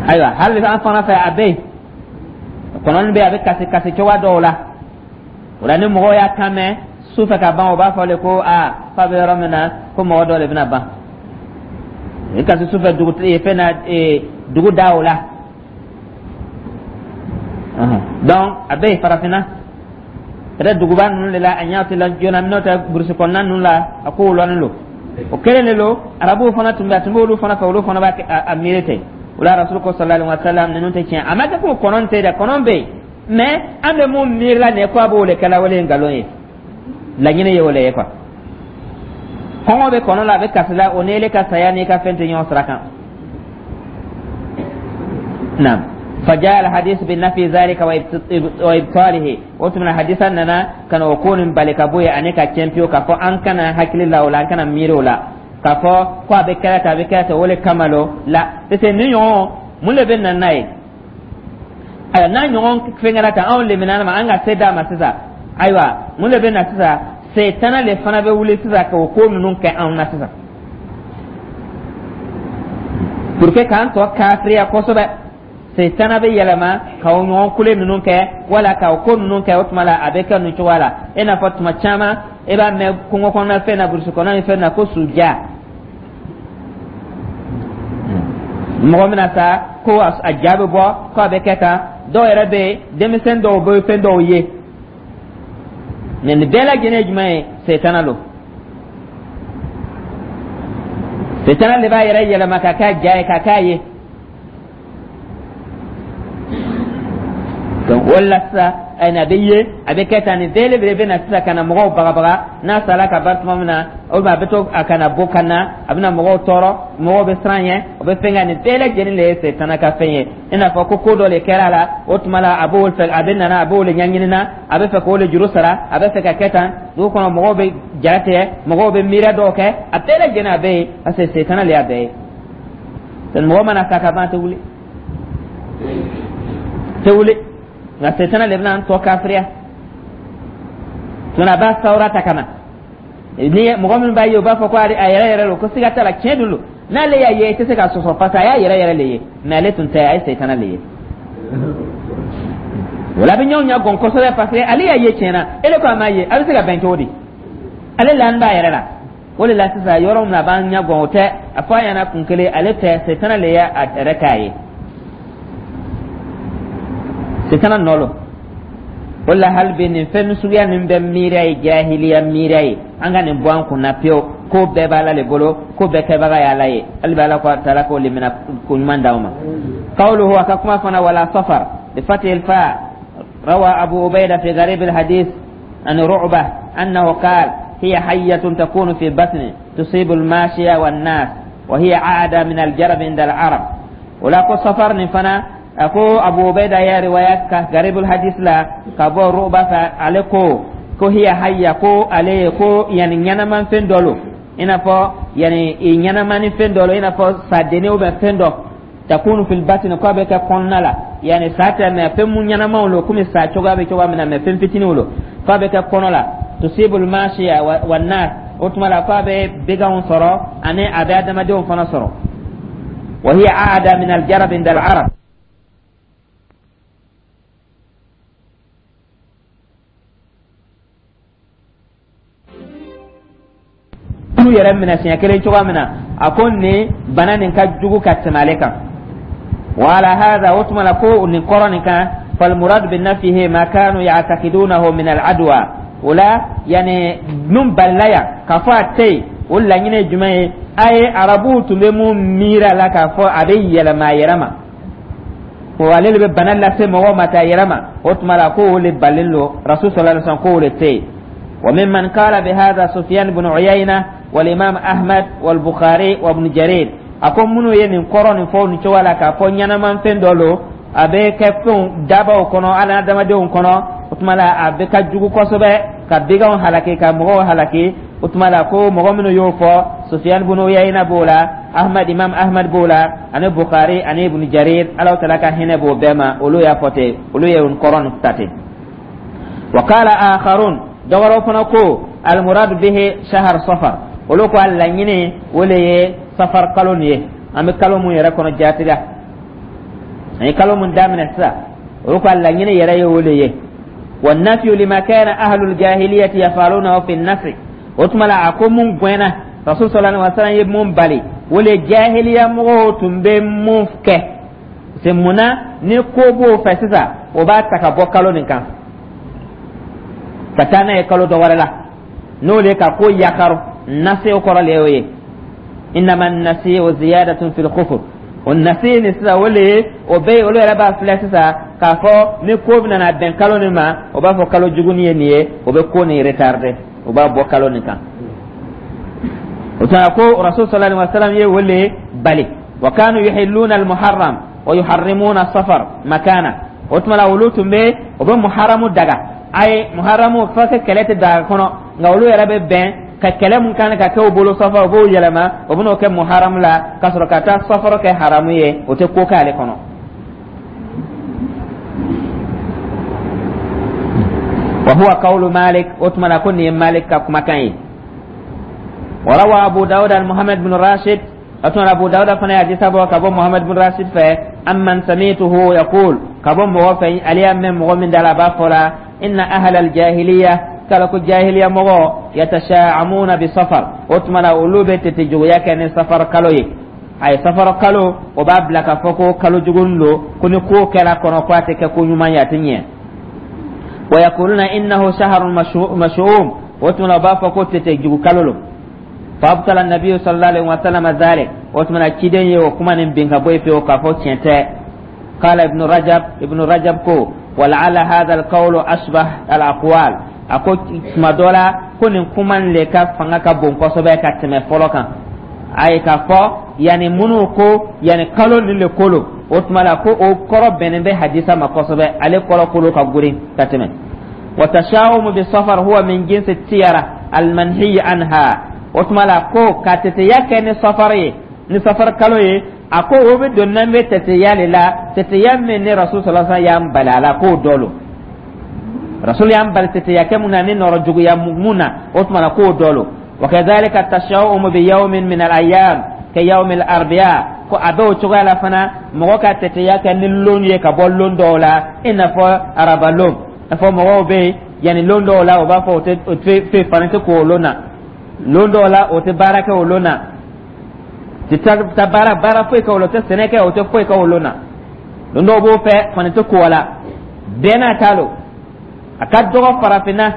Ayiwa, hali an fana fɛ, a bɛ yen, kɔnɔni bɛ yen, a bɛ kasi kasi cogoya dɔw la. O la, ni mɔgɔw y'a kan mɛn su fɛ ka ban, o b'a fɔ le ko aa, k'a bɛ yɔrɔ min na, ko mɔgɔ dɔ le bɛna ban. I kasi su fɛ dugu fɛn na, dugu da o la. Donc a bɛ yen farafinna, peut-être duguba ninnu de la a ɲɛ tɛ la joona, n'o tɛ burusi kɔnɔna ninnu la, a kow lɔnnen don. O kelen de don, arabuw fana tun bɛ, a tun bɛ olu fana fɛ, olu fana b'a a miiri ten. O la, Rasul ko صلى الله عليه وسلم, ninnu tɛ tiɲɛ, a ma kɛ ko kɔnɔn tɛ dɛ, kɔnɔn bɛ yen, mais an bɛ mun miiri la nin ye, ko a b'o de kɛla, o de ye nkalon ye, laɲini ye o le ye quoi. Kɔngɔ bɛ kɔnɔ la, a bɛ kasi la, o ni ele ka saya n'i ka fɛn tɛ ɲɔgɔn sira kan. نعم، فجاء الحديث بالنفي ذلك وإبطاله. وتمنى حديثا ننا كان وكون بالك بوي أنك تشامبيو كفو أن كان حكي لا ولا كان ميرو لا كفو كو أبي كلا أبي كلا ولا كمالو لا, parce que ni ɲɔgɔn mun de bɛ na n'a ye? Ayiwa, n'a ɲɔgɔn fɛnkɛra tan, anw lemina ma, an ka se d'a ma sisan. Ayiwa, mun de bɛ na sisan? Setana le fana bɛ wuli sisan k'o ko ninnu kɛ anw na sisan pour que k'an tɔ kafiriya kosɛbɛ. Setana bɛ yɛlɛma k'aw ɲɔgɔn kule ninnu kɛ wala k'aw ko ninnu kɛ. O tuma la, a bɛ kɛ nin cogoya la, i n'a fɔ tuma caman e b'a mɛn kungo kɔnɔna fɛn na, burusi kɔnɔna ni fɛn na, ko suja, mɔgɔ bɛna sa, ko a ja bɛ bɔ, ko a bɛ kɛ tan. Dɔw yɛrɛ bɛ yen, denmisɛn dɔw bɛ fɛn dɔw ye, mɛ nin bɛɛ lajɛlen ye jumɛn ye? Setana don. Setana de b'a yɛrɛ yɛlɛma ka k'a ja ye, ka k'a ye. Donc o la sisan, a bɛ ye, a bɛ kɛ tan. Nin bɛɛ de bɛ na sisan ka na mɔgɔw bagabaga. N'a sara ka ban tuma min na, o a bɛ to a kana bɔ ka na, a bɛna mɔgɔw tɔɔrɔ, mɔgɔw bɛ siran ɲɛ, o bɛ fɛn kɛ. Nin bɛɛ lajɛlen de ye setana ka fɛn ye, i n'a fɔ ko ko dɔ de kɛra a la. O tuma la, a b'o fɛ, a bɛ nana, a b'o de ɲɛɲini na, a bɛ fɛ k'o de juru sara, a bɛ fɛ ka kɛ tan. Dugu kɔnɔ mɔgɔw bɛ ja tigɛ, mɔgɔw bɛ miiriya dɔw kɛ, a bɛɛ lajɛlen a bɛ yen, parce que setana de y'a bɛɛ ye. Mɔgɔ mana sa ka ban, a tɛ wuli, tɛ wuli, nka setana de bɛna an tɔ kafiriya. Tuma a b'a sawura ta ka na ni mɔgɔ min b'a ye, o b'a fɔ ko a yɛrɛ yɛrɛ don, ko siga t'a la, tiɲɛ don. N'ale y'a ye, i tɛ se k'a sɔsɔ, parce que a y'a yɛrɛ yɛrɛ le ye, mais ale tun tɛ, a ye setana le ye. O la, a bɛ ɲɔgɔn ɲɛ gɔn kosɛbɛ, parce que ale y'a ye tiɲɛ na, ele ko a m'a ye, a bɛ se ka bɛn cogo di? Ale lanin b'a yɛrɛ la. O de la sisan, yɔrɔ min na a b'an ɲɛ gɔn, o tɛ a fɔ a ɲɛna kun kelen, ale tɛ, setana le y'a yɛrɛ k'a ye, setana nɔ lo. O la, hali bi nin fɛn suguya nin bɛ miiriya ye jahiliya miiriya ye, an ka nin bɔ an kunna pewu. Ko bɛɛ b'Ala le bolo, ko bɛɛ kɛbaga ye Ala ye. Hali bi Ala ko taala k'o limina ko ɲuman d'aw ma. قوله, a ka kuma fana, ولا صفر بفتح الفاء. روى أبو عبيدة في غريب الحديث عن رعبة أنه قال: هي حية تكون في بطن تصيب الماشية والناس، وهي عادة من الجرب عند العرب. ولا ko safar nin fana, a ko Abu Ubaida ya riwaya ka garibul hadis la ka bɔ Ruba fɛ, ale ko ko هي حية, ko ale ye ko yani ɲɛnaman fɛn dɔ lo, i n'a fɔ Yani i ɲɛnamani fɛn dɔ la, i n'a fɔ sadenni ou bien fɛn dɔ, takunu fil batni, k'a bɛ kɛ kɔnɔna la, yani sa tɛ, mais fɛn mun ɲɛnamaw lo, komi sa cogoya bɛ cogoya min na, mais fɛn fitininw lo, k'a bɛ kɛ kɔnɔ la, tusibul mashiya wa nas. O tuma la k'a bɛ baganw sɔrɔ ani a bɛ adamadenw fana sɔrɔ. Wa hiya aada min aljarab inda al-arab. K'u yɛrɛ minɛ siɲɛ kelen cogoya min na, a ko nin bana nin ka jugu ka tɛmɛ ale kan. Wa ala hadha, o tuma la ko nin kɔrɔ nin kan, falmurad bi nafihi ma kanu ya'taqidunahu min al-adwa. O la, yani min balila yan k'a fɔ a tɛ yen, o laɲini ye jumɛn ye? A ye arabuw tun bɛ mun miiri a la k'a fɔ a bɛ yɛlɛma a yɛrɛ ma, ko ale de bɛ bana lase mɔgɔw ma ta yɛrɛ ma, o tuma la ko o le balilen don. Rasul sallallahu alaihi wasallam ko o le tɛ yen. وممن قال بهذا سفيان بن عيينة والإمام أحمد والبخاري وابن جرير. A ko minnu ye nin kɔrɔ nin fɔ nin cogoya la, k'a fɔ ɲɛnaman fɛn dɔ lo, a bɛ kɛ fɛnw dabaw kɔnɔ, hali adamadenw kɔnɔ, o tuma la a bɛ ka jugu kosɛbɛ ka baganw halaki, ka mɔgɔw halaki, o tuma la ko mɔgɔ minnu y'o fɔ, Sufiyan bin Uyayna b'o la, Ahmad, Imam Ahmad b'o la, ani Bukhari ani Ibn Jarir, Ala taala ka hinɛ b'o bɛɛ ma, olu y'a fɔ ten, olu ye nin kɔrɔ nin ta ten. Wa qala akharun, dɔ wɛrɛw fana ko almuradu bihi shahar safar. Olu ko a laɲini o le ye safar kalo nin ye, an bɛ kalo mun yɛrɛ kɔnɔ jaati la, an ye kalo mun daminɛ sisan, olu ko a laɲini yɛrɛ ye o le ye. Wa nafiyu lima kana ahlul jahiliyati yafalunahu fi nasi. O tuma la a ko mun gɛnna, rasul sallallahu alaihi wasallam ye mun bali, o le jahiliya mɔgɔw tun bɛ mun kɛ. C'est mun na ni ko b'o fɛ sisan, o b'a ta ka bɔ kalo nin kan ka taa n'a ye kalo dɔ wɛrɛ la, n'o le ka ko yakaru. Nasi o kɔrɔ le y'o ye, innama nasi'u ziyadatun fil kufur. O nasi nin sisan, o le ye o bɛ yen, olu yɛrɛ b'a filɛ sisan k'a fɔ ni ko bɛna na bɛn kalo nin ma, o b'a fɔ kalo jugu ye nin ye, o bɛ ko nin retarder, o b'a bɔ kalo nin kan. O tuma ko rasul sallallahu alaihi wasallam ye o le bali. Wa kanu yuhilluna al muharram wa yuharrimuna safar makana. O tuma la olu tun bɛ, o bɛ muharamu daga, a ye muharamu fo kɛ kɛlɛ tɛ daga kɔnɔ, nka olu yɛrɛ bɛ bɛn ka kɛlɛ mun kan ka kɛ u bolo safar, u b'o yɛlɛma, o bɛn'o kɛ muharamu la, ka sɔrɔ ka taa safar kɛ haramu ye, o tɛ ko k'ale kɔnɔ. Wa huwa qawlu Malik. O tuma la ko nin ye Malik ka kumakan ye. Wa rawa Abu Dawud an Muhammad bin Rashid. O tuma Abu Dawud fana ye hadisa bɔ ka bɔ Muhammad bin Rashid fɛ, amman samituhu yaqul, ka bɔ mɔgɔ fɛ, ale y'a mɛn mɔgɔ min da la, a b'a fɔ la, inna ahla al-jahiliya, kala ko jahiliya mɔgɔ, yatasha'amuna bi safar. O tuma la olu bɛ tete juguya kɛ ni safar kalo ye. A ye safar kalo, o b'a bila k'a fɔ ko kalo jugu don, ko ni ko kɛra kɔnɔ, ko a tɛ kɛ ko ɲuman ye, a tɛ ɲɛ. Wa yaquluna innahu shahrun mashu'um. O tuma la u b'a fɔ ko tete jugu kalo lo. Fa abtala nabiyyu sallallahu alaihi wa sallam dhalik. O tuma la ciden ye o kuma nin bin ka bɔ yen pewu, k'a fɔ tiɲɛ tɛ. Qala ibnu Rajab, ibnu Rajab ko wala'ala hadha alqawlu ashbah alaqwal. A ko tuma dɔ la ko nin kuma nin le ka fanga ka bon kosɛbɛ ka tɛmɛ fɔlɔ kan. A ye k'a fɔ yanni minnu ko yanni kalo nin le kolo, o tuma la ko o kɔrɔ bɛnnen bɛ hadisa ma kosɛbɛ, ale kɔrɔ kolo ka girin ka tɛmɛ. Wa tashawumu bi safar huwa min jinsi tiyara almanhiyi anha. O tuma la ko ka teteya kɛ ni safar ye, ni safar kalo ye, a ko o bɛ don n'an bɛ teteya le la, teteya min ni rasul sallallahu alaihi wasallam y'an bali a la, k'o dɔ lo. Rasul y'an bali teteya kɛ mun na, ni nɔrɔ juguya mun na, o tuma la k'o dɔ lo. Wa kadhalika tashawumu bi yawmin min al-ayyam ka yawmi al-arbi'a. Ko a bɛ o cogoya la fana, mɔgɔ ka teteya kɛ ni lon ye ka bɔ lon dɔw la, i n'a fɔ araba lon, i n'a fɔ mɔgɔw bɛ yen yanni lon dɔw la, o b'a fɔ o tɛ o tɛ fani tɛ ko o lon na, lon dɔw la o tɛ baara kɛ o lon na, tɛ taa baara foyi kɛ o la, o tɛ sɛnɛ kɛ, o tɛ foyi kɛ o lon na. Lon dɔw b'o fɛ fani tɛ ko o la, bɛɛ n'a ta lo. A ka dɔgɔ farafinna,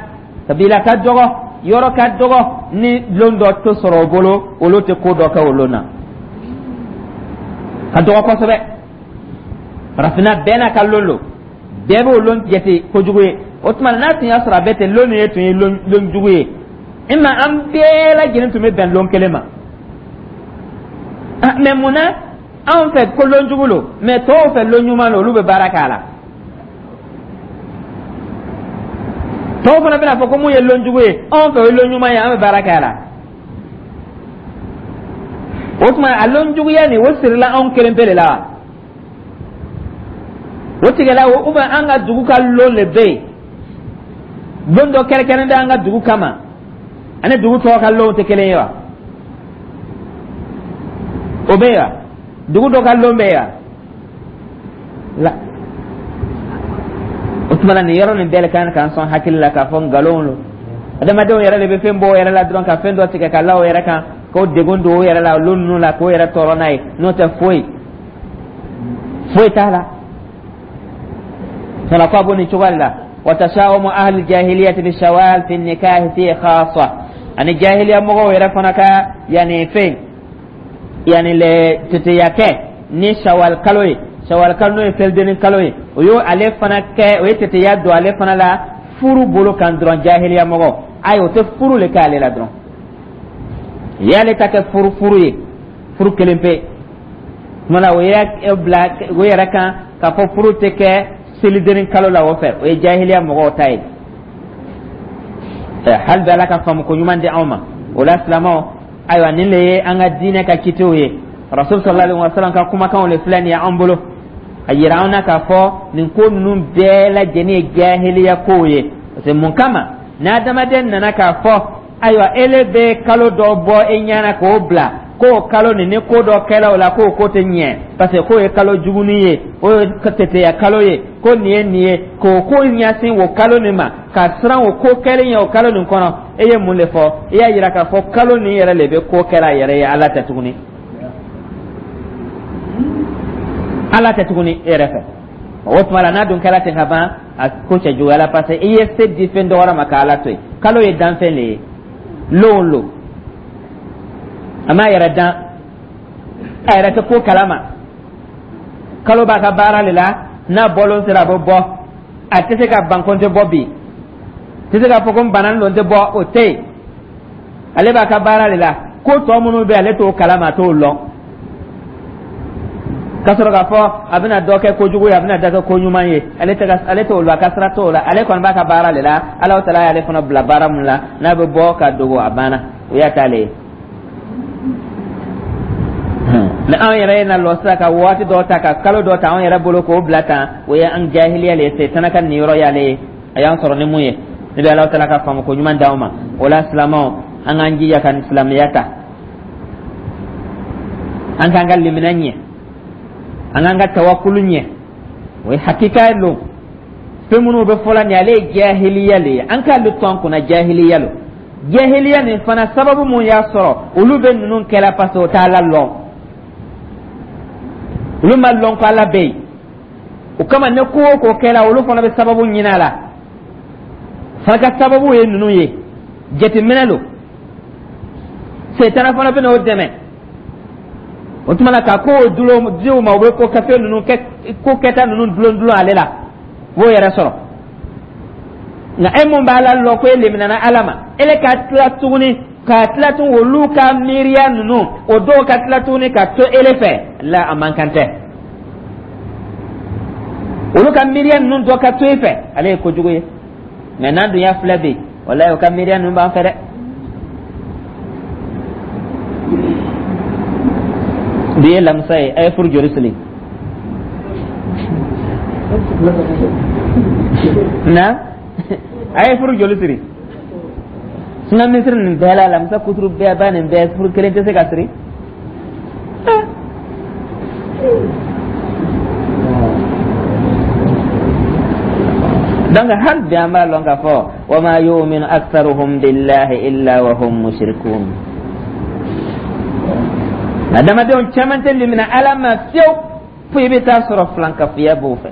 kabila ka dɔgɔ, yɔrɔ ka dɔgɔ ni lon dɔ tɛ sɔrɔ o bolo, olu tɛ ko dɔ kɛ o lon na, ka dɔgɔ kosɛbɛ. Farafinna bɛɛ n'a ka lon lo, bɛɛ b'o lon jate kojugu ye. O tuma n'a tun y'a sɔrɔ a bɛɛ tɛ lon ye tun ye lon jugu ye, i ma an bɛɛ lajɛlen tun bɛ bɛn lon kelen ma. Mais mun na anw fɛ ko lon jugu lo, mais tɔw fɛ lon ɲuman lo, olu bɛ baara k'a la? Tɔw fana bɛna fɔ ko mun ye lon jugu ye, anw fɛ o ye lon ɲuman ye, an bɛ baara k'a la. O tuma a lon juguya nin, o sirila anw kelen pe de la wa? O tigɛla o, ou bien an ka dugu ka lon le bɛ yen, don dɔ kɛrɛnkɛrɛn bɛ an ka dugu kama, ani dugu tɔw ka lonw tɛ kelen ye wa? O bɛ yen wa? Dugu dɔ ka lon bɛ yen wa? La, o tuma na, nin yɔrɔ nin bɛɛ le kan k'an sɔn hakili la k'a fɔ nkalon lo. Adamadenw yɛrɛ de bɛ fɛn bɔ o yɛrɛ la dɔrɔn, ka fɛn dɔ tigɛ ka la o yɛrɛ kan, k'o degun don o yɛrɛ la lon ninnu la, k'o yɛrɛ tɔɔrɔ n'a ye. N'o tɛ, foyi foyi t'a la. Fana ko a b'o nin cogoya de la. وتشاؤم أهل الجاهلية بالشوال في النكاح فيه خاصة. Ani jahiliya mɔgɔw yɛrɛ fana ka yani fɛn yani le teteya kɛ ni Shawal kalo ye, Shawal kalo n'o ye selidenni kalo ye, o y'o ale fana kɛ, o ye teteya don ale fana la furu bolo kan dɔrɔn. Jahiliya mɔgɔ, ayi, o tɛ furu le kɛ ale la dɔrɔn, y'ale ta kɛ furu furu ye, furu kelen pe. Tuma la, o y'a bila o yɛrɛ kan k'a fɔ furu tɛ kɛ selidenni kalo la o fɛ. O ye jahiliya mɔgɔw ta ye. Hali bi, Ala ka faamu ko ɲuman di anw ma. O la, silamɛw, ayiwa, nin le ye an ka diinɛ ka kitiw ye. Rasul sallallahu alaihi wasallam ka kumakanw le filɛ nin ye an bolo, a yira an na k'a fɔ nin ko ninnu bɛɛ lajɛlen ye jahiliya kow ye. Parce que mun kama ni adamaden nana k'a fɔ, ayiwa, ele bɛ kalo dɔ bɔ e ɲɛna k'o bila, k'o kalo nin, ni ko dɔ kɛla o la, k'o ko tɛ ɲɛ, parce que k'o ye kalo juguni ye, o ye teteya kalo ye, ko nin ye nin ye, k'o ko ɲɛsin o kalo nin ma, ka siran o ko kɛlen ye o kalo nin kɔnɔ, e ye mun de fɔ? I y'a yira k'a fɔ kalo nin yɛrɛ le bɛ ko kɛla a yɛrɛ ye, Ala tɛ tuguni, Ala tɛ tuguni e yɛrɛ fɛ. O tuma la, n'a dun kɛra ten ka ban, a ko cɛ juguyala, parce que i ye se di fɛn dɔ wɛrɛ ma k'Ala to yen. Kalo ye danfɛn de ye, lon o lon a m'a yɛrɛ dan, a yɛrɛ tɛ ko kalama. Kalo b'a ka baara de la, n'a bɔlon sera, a bɛ bɔ. A tɛ se ka ban ko n tɛ bɔ bi, tɛ se k'a fɔ ko n bananen don, n tɛ bɔ, o tɛ yen. Ale b'a ka baara de la. Ko tɔ minnu bɛ, ale t'o kalama, a t'o lɔn, ka sɔrɔ k'a fɔ a bɛna dɔ kɛ kojugu ye, a bɛna dɔ kɛ ko ɲuman ye, ale tɛ ale t'o lɔn, a ka sira t'o la. Ale kɔni b'a ka baara de la. Ala taala y'ale fana bila baara mun la, n'a bɛ bɔ ka dogo, a banna, o y'a t'ale ye. Ni anw yɛrɛ ye na lɔ sisan ka waati dɔ ta, ka kalo dɔ ta anw yɛrɛ bolo k'o bila tan, o ye an jahiliya le ye. Setana ka niyɔrɔ y'ale ye, a y'an sɔrɔ ni mun ye. Ne bɛ Ala taala ka faamu ko ɲuman d'anw ma. O la, silamɛw, an k'an jija ka silamɛya ta, an k'an ka limina ɲɛ, an k'an ka tawakulu ɲɛ. O ye hakika ye lon fɛn minnu bɛ fɔla nin, ale ye jahiliya le ye. An k'ale to an kunna, jahiliya lo. Jahiliya nin fana, sababu mun y'a sɔrɔ olu bɛ ninnu kɛla? Parce que o t'Ala lɔn, olu ma lɔn ko Ala bɛ yen. O kama, ne ko o ko kɛla, olu fana bɛ sababu ɲini a la. Fana ka sababu ye ninnu ye, jateminɛ lo. Setana fana bɛ n'o dɛmɛ. O tuma na, ka kow dulon di u ma, u bɛ ko kafe ninnu kɛ, ko kɛta ninnu dulon dulon ale la, u b'o yɛrɛ sɔrɔ. Nka e mun b'a la lɔ ko e leminana Ala ma, ele ka tila tuguni ka tila tuguni olu ka miiriya ninnu, o dɔw ka tila tuguni ka to ele fɛ la, a man kan tɛ. Olu ka miiriya ninnu dɔ ka to e fɛ, ale ye kojugu ye. Mɛ n'an dun y'a filɛ bi, walayi, o ka miiriya ninnu b'an fɛ dɛ. Bi ye lamisa ye, a ye furu joli siri na? A ye furu joli siri? Suna misiri nin bɛɛ la, lamisa kuturu bɛɛ ba nin bɛɛ, furu kelen tɛ se ka siri. Donc hali bi, an b'a lɔn k'a fɔ wa ma yu'minu aktharuhum billahi illa wa hum mushrikun. Adamadenw caman tɛ limina Ala ma fiyewu, fo i bɛ taa sɔrɔ filankafoya b'o fɛ.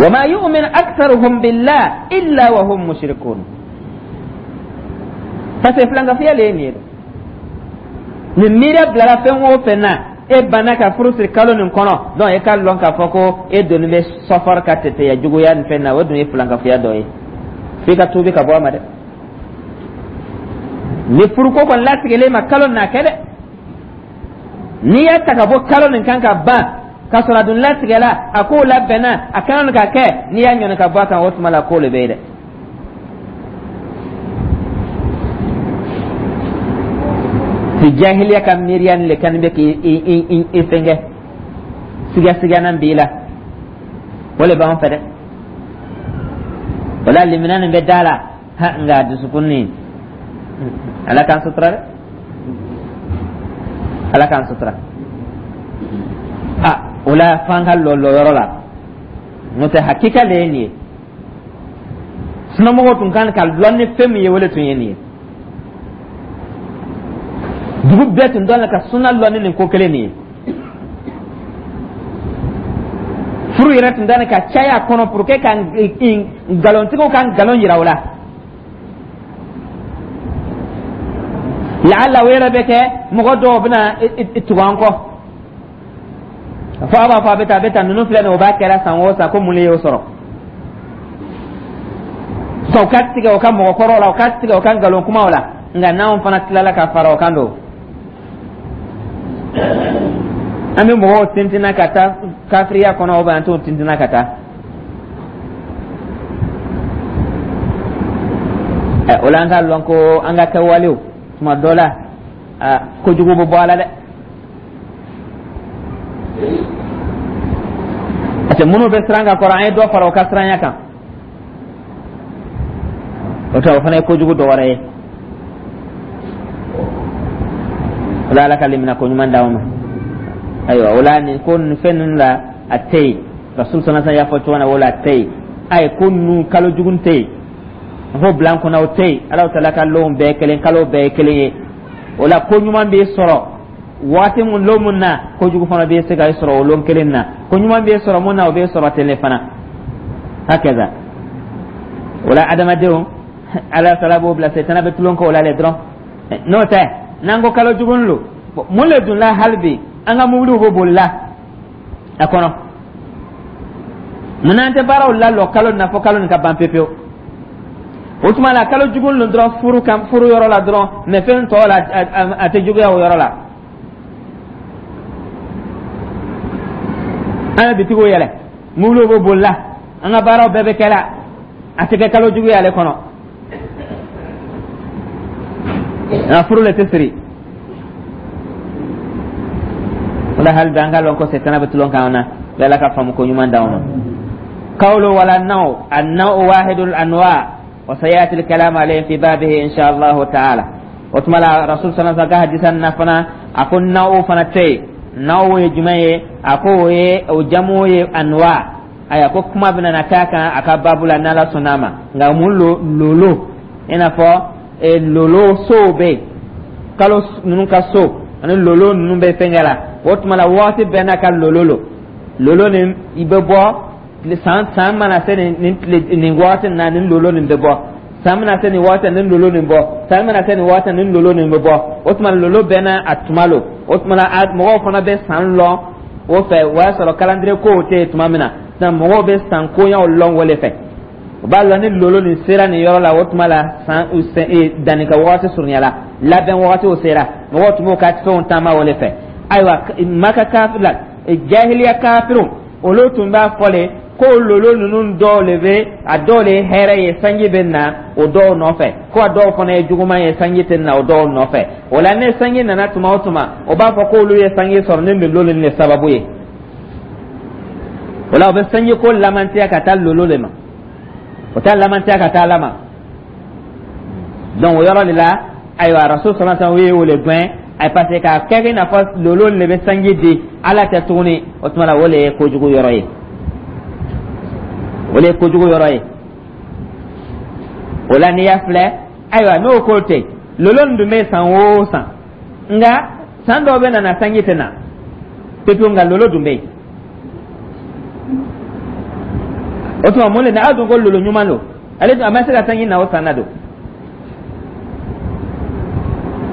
Wa ma yu'minu aktharuhum billah illa wa hum mushrikun, parce que filankafoya le ye nin ye. Nin miiriya bilala fɛn o fɛn na, e banna ka furu siri kalo nin kɔnɔ, donc e k'a lɔn k'a fɔ ko e donni bɛ sɔfɔri ka tɛtɛya juguya nin fɛn na, o dun ye filankafoya dɔ ye, f'i ka tuubi ka bɔ a ma dɛ. Ni furuko kɔni latigɛlen ma kalo na kɛ dɛ, n'i y'a ta ka bɔ kalo nin kan ka ban, ka sɔrɔ a dun latigɛla, a kow labɛnna, a kan ka kɛ, n'i y'a ɲɔni ka bɔ a kan, o tuma la ko le bɛ yen dɛ. Parce que jahiliya ka miiriya nin le kan bɛ k'i i fɛngɛ, sigasigana b'i la, o le b'an fɛ dɛ. O la limina nin bɛ da la ha, nka dusukun nin, Ala k'an sutura dɛ, Ala k'an sutura. A o la f'an ka lɔ lɔyɔrɔ la, n'o tɛ hakika le ye nin ye. Sunamɔgɔw tun kan ka lɔn ni fɛn min ye, o le tun ye nin ye. Dugu bɛɛ tun dɔn ka suna lɔn ni nin ko kelen nin ye. Furu yɛrɛ tun dani ka caya a kɔnɔ pour que ka nkalontigiw ka nkalon yira u la. Laala o yɛrɛ bɛ kɛ mɔgɔ dɔw bɛna tugu an kɔ fo a b'a fɔ a bɛ taa, a bɛ taa, ninnu filɛ nin ye, o b'a kɛra san o san, ko mun de y'o sɔrɔ? U ka tigɛ u ka mɔgɔkɔrɔw la, u ka tigɛ u ka nkalon kumaw la. Nka n'anw fana tilala ka fara o kan don, an bɛ mɔgɔw tintinna ka taa kafiriya kɔnɔ, ou bien an t'o tintinna ka taa. O la an k'a lɔn ko an ka kɛwalew tuma dɔ la, kojugu bɛ bɔ a la dɛ, parce que minnu bɛ siran ka kɔrɔ, an ye dɔ fara u ka siranya kan. O tɛ, o fana ye kojugu dɔ wɛrɛ ye. O la Ala ka limina ko ɲuman d'anw ma. Ayiwa, o la nin ko nin fɛn ninnu la, a tɛ yen. Rasul sallallahu alaihi wasallam y'a fɔ cogo min na, o la a tɛ yen. A ye ko ninnu kalo jugu tɛ yen, a fɔ bila an kunna, o tɛ yen. Ala taala ka lonw bɛɛ kelen, kalo bɛɛ ye kelen ye. O la ko ɲuman b'i sɔrɔ waati mun, lon mun na, kojugu fana bɛ se ka sɔrɔ o lon kelen na. Ko ɲuman bɛ sɔrɔ mun na, o bɛ sɔrɔ ten de fana. Hakaza. O la adamadenw, Ala taala b'o bila, setana bɛ tulon k'o la le dɔrɔn. N'o tɛ, n'an ko kalo jugu lo, mun le dun la? Hali bi an ka mobiliw bɛ boli la a kɔnɔ. Mun n'an tɛ baaraw lalɔ kalo nin na fo kalo nin ka ban pepewu? O tuma la kalo jugu lo dɔrɔn furu kan, furu yɔrɔ la dɔrɔn, mɛ fɛn tɔw la, a tɛ juguya o yɔrɔ la. An bɛ bitigiw yɛlɛ, mobiliw bɛ boli la, an ka baaraw bɛɛ bɛ kɛ la, a tɛ kɛ kalo jugu ye ale kɔnɔ. Nka furu le tɛ siri. O la hali bi an k'a lɔn ko setana bɛ tulon k'an na. Ala ka faamu ko ɲuman d'anw ma. Qawlu wala naw an-naw wahidul anwa wa sayati al-kalam alayhi fi babihi insha Allah ta'ala. O tuma la Rasul sallallahu alaihi wasallam ka hadisa na fana, a ko naw fana tɛ yen. Naw ye jumɛn ye? A ko o ye o jamu ye anwa. Ayiwa, ko kuma bɛna na k'a kan a ka baabu la n'Ala sɔnna a ma. Nka mun lo? Lolo, i n'a fɔ lolo sow bɛ yen, kalo ninnu ka so ani lolo ninnu bɛ fɛnkɛ la. O tuma la waati bɛɛ n'a ka lolo lo. Lolo nin i bɛ bɔ san, san mana se nin tile nin waati na, nin lolo nin bɛ bɔ. San mana se nin waati, nin lolo nin bɔ. San mana se nin waati, nin lolo nin bɛ bɔ. O tuma lolo bɛɛ n'a a tuma lo. O tuma la mɔgɔw fana bɛ san lɔn o fɛ. O y'a sɔrɔ calendrier kow tɛ yen tuma min na sisan, mɔgɔw bɛ san koɲaw lɔn o de fɛ. O b'a lɔn ni lolo nin sera nin yɔrɔ la, o tuma la san danni ka wagati surunyala, labɛn wagatiw sera, mɔgɔw tun b'u ka fɛnw taama o de fɛ. Ayiwa, Maka kafiri la, jahiliya kafiriw, olu tun b'a fɔ le ko lolo ninnu dɔw le bɛ, a dɔw le ye hɛrɛ ye, sanji bɛ na o dɔw nɔfɛ, ko a dɔw fana ye juguman ye, sanji tɛ na o dɔw nɔfɛ. O la ni sanji nana tuma o tuma, o b'a fɔ k'olu ye sanji sɔrɔ ni lolo nin de sababu ye. O la o bɛ sanji ko lamantiya ka taa lolo de ma, o t'a lamantiya ka taa Ala ma. Donc o yɔrɔ de la, ayiwa, Rasul sallallahu alaihi wasallam ye o le gɛn ayi, parce que k'a kɛ i n'a fɔ lolo de bɛ sanji di, Ala tɛ tuguni. O tuma la o le ye kojugu yɔrɔ ye, o le ye kojugu yɔrɔ ye. O la n'i y'a filɛ, ayiwa, n'o ko tɛ, lolo nin dun bɛ san o san, nka san dɔw bɛ na sanji tɛ na pepewu, nka lolo dun bɛ yen. O tuma mun de na a dun ko lolo ɲuman don, ale dun a ma se ka sanji na o san na don.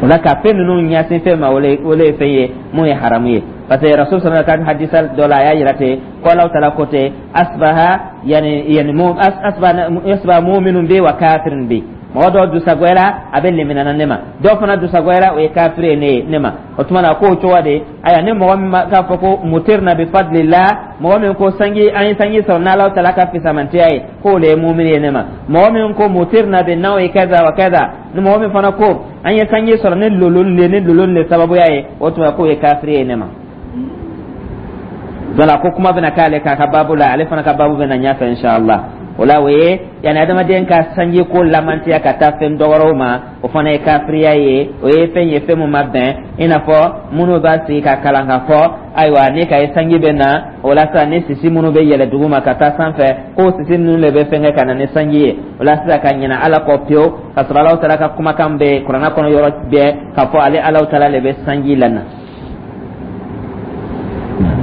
O la ka fɛn ninnu ɲɛsin fɛn ma, o le ye fɛn ye mun ye haramu ye, parce que Rasul sallallahu alaihi wasallam hadisa dɔ la, a y'a yira ten ko Alahu taala ko ten: asbaha yani yani mu asbaha asbaha mu'minun bi wa kafirun bi. Mɔgɔ dɔw dusagoyara, a bɛ leminana ne ma. Dɔw fana dusagoyara, o ye kafiri ye ne ye ne ma. O tuma na k'o cogo de. Ayiwa, ni mɔgɔ min k'a fɔ ko mutirna bi fadlillah, mɔgɔ min ko sanji, an ye sanji sɔrɔ n'Ala taala ka fisamantiya ye, k'o le ye mumini ye ne ma. Mɔgɔ min ko mutirna bi nawi kaza wa kaza, ni mɔgɔ min fana ko an ye sanji sɔrɔ ni lolon le, ni lolon le sababuya ye, o tuma k'o ye kafiri ye ne ma. Voilà, ko kuma bɛna k'ale k'a ka baabu la, ale fana ka baabu bɛna ɲɛfɛ inshallah. O la, o ye yani adamaden ka sanji ko lamantiya ka taa fɛn dɔwɛrɛw ma, o fana ye kafiriya ye. O ye fɛn ye, fɛn mun ma bɛn, i n'a fɔ minnu b'a sigi ka kalan ka fɔ, ayiwa, ni ka ye sanji bɛ na, o la sisan, ni sisi minnu bɛ yɛlɛ dugu ma ka taa sanfɛ, k'o sisi ninnu de bɛ fɛn kɛ ka na ni sanji ye. O la sisan, ka ɲinɛ Ala kɔ pewu, ka sɔrɔ Alahu taala ka kumakan bɛ kuranɛ kɔnɔ yɔrɔ bɛɛ k'a fɔ ale Alahu taala de bɛ sanji lana.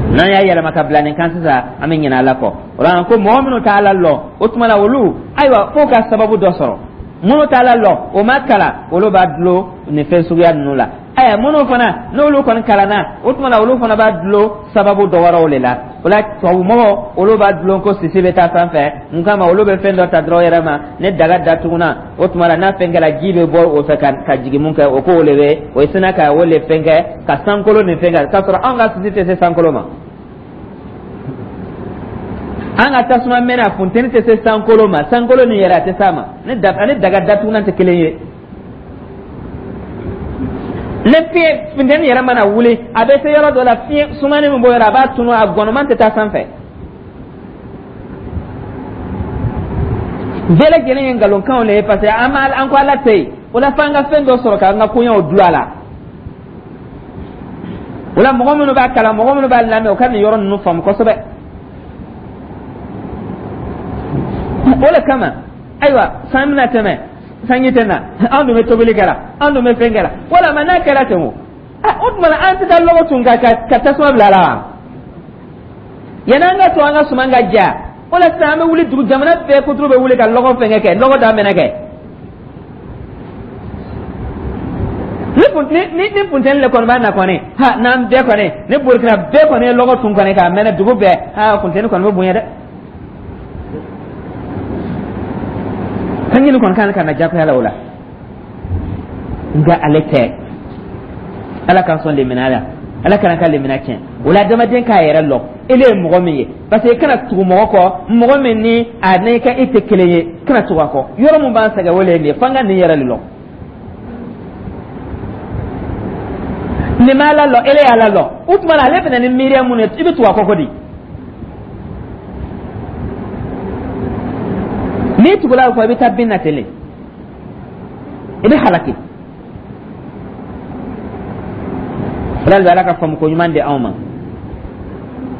N'an y'a yɛlɛma ka bila nin kan sisan, an bɛ ɲinɛ Ala kɔ. O la, ko mɔgɔ minnu t'a Ala lɔn, o tuma na olu, ayiwa, f'o ka sababu dɔ sɔrɔ. Minnu t'a Ala lɔn, o ma kalan, olu b'a dulon nin fɛn suguya ninnu la. Ayiwa, minnu fana n'olu kɔni kalanna, o tuma na olu fana b'a dulon sababu dɔ wɛrɛw de la. O la, tubabumɔgɔw, olu b'a dulon ko sisi bɛ taa sanfɛ. Mun kama? Olu bɛ fɛn dɔ ta dɔrɔn yɛrɛ ma, ni daga datuguna, o tuma na n'a fɛn kɛra, ji bɛ bɔ o fɛ ka jigin. Mun kɛ o k'o le bɛ o ye sina ka o le fɛn kɛ ka sankolo nin fɛn kɛ, k'a sɔrɔ anw ka sisi tɛ se sankolo ma. An ka tasuma mɛnɛ, a funteni tɛ se sankolo ma. Sankolo nin yɛrɛ, a tɛ s'a ma. Ni da ani daga datugunan tɛ kelen ye. Ni fiɲɛ funteni yɛrɛ mana wuli, a bɛ se yɔrɔ dɔ la, fiɲɛ sumani min b'o yɔrɔ, a b'a tunu, a gɔnɔman tɛ taa sanfɛ. Bɛɛ lajɛlen ye nkalonkanw de ye, parce que an ma an ko Ala tɛ yen. O la, f'an ka fɛn dɔ sɔrɔ k'an ka koɲɛw dulon a la. O la, mɔgɔ minnu b'a kalan, mɔgɔ minnu b'a lamɛn, o ka nin yɔrɔ ninnu faamu kosɛbɛ. O le kama, ayiwa, san bɛna tɛmɛ, sanji tɛ na. Anw dun bɛ tobili kɛra, anw dun bɛ fɛn kɛra, walama n'a kɛra ten, o o tuma na an tɛ taa lɔgɔ tun ka tasuma bila a la wa? Yanni an ka to an ka suman ka ja, o la sisan, an bɛ wuli, dugu jamana bɛɛ kuturu bɛ wuli ka lɔgɔ fɛnkɛ kɛ, lɔgɔ da mɛnɛ kɛ. Ni funteni le kɔni b'a na kɔni, ha, n'an bɛɛ kɔni, ni Burukina bɛɛ kɔni ye lɔgɔ tun kɔni k'a mɛnɛ dugu bɛɛ, ha, funteni kɔni bɛ bonya dɛ. Sanji nin kɔni kan ka na jagoya la o la, nka ale tɛ. Ala k'an sɔn lemina la, Ala kana ka lemina tiɲɛ. O la, adamaden k'a yɛrɛ lɔn, ele ye mɔgɔ min ye, parce que i kana tugu mɔgɔ kɔ, mɔgɔ min ni a n'i ka e tɛ kelen ye, kana tugu a kɔ. Yɔrɔ mun b'an sɛgɛn, o le ye nin ye. F'an ka nin yɛrɛ de lɔn. Nin ma Ala lɔn, ele y'Ala lɔn, o tuma na ale bɛna ni miiriya mun ye, i bɛ tugu a kɔ ko di? N'i tugula o kɔ, i bɛ taa bin na ten de, i bɛ halaki. Ala bɛ Ala ka faamu ko ɲuman di anw ma.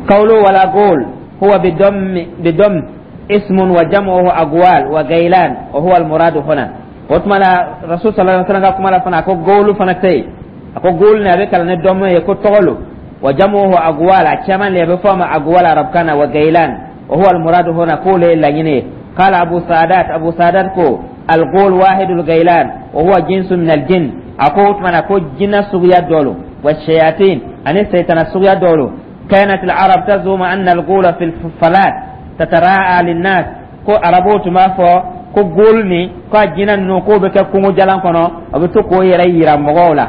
Kawlo wala gol huwa bidom ismun wa jam'uhu agwal wa gailan wa huwa al-muradu huna. O tuma la, Rasul sallallahu alaihi wasallam ka kuma la fana, a ko golu fana tɛ yen. A ko golu ni a bɛ kalan ni dɔmɔ ye ko tɔgɔ lo. Wa jam'uhu agwal, a caman le a bɛ fɔ a ma agwal arabkan na, wa gailan wa huwa al-muradu huna, k'o le ye laɲini ye. Qala Abu Sadat, Abu Sadat ko al-ghul wahidul gailan wa huwa jinsu min al-jinn. A ko o tuma na ko jinɛ suguya dɔ lo, wa shayatin, ani seytana suguya dɔ lo. Kanat al-arab tazumu anna al-ghula fi al-falat tatara'a lin-nas. Ko arabuw tun b'a fɔ ko gol ni ko a jinɛ ninnu, k'o bɛ kɛ kungo jalan kɔnɔ, a bɛ to k'o yɛrɛ yira mɔgɔw la.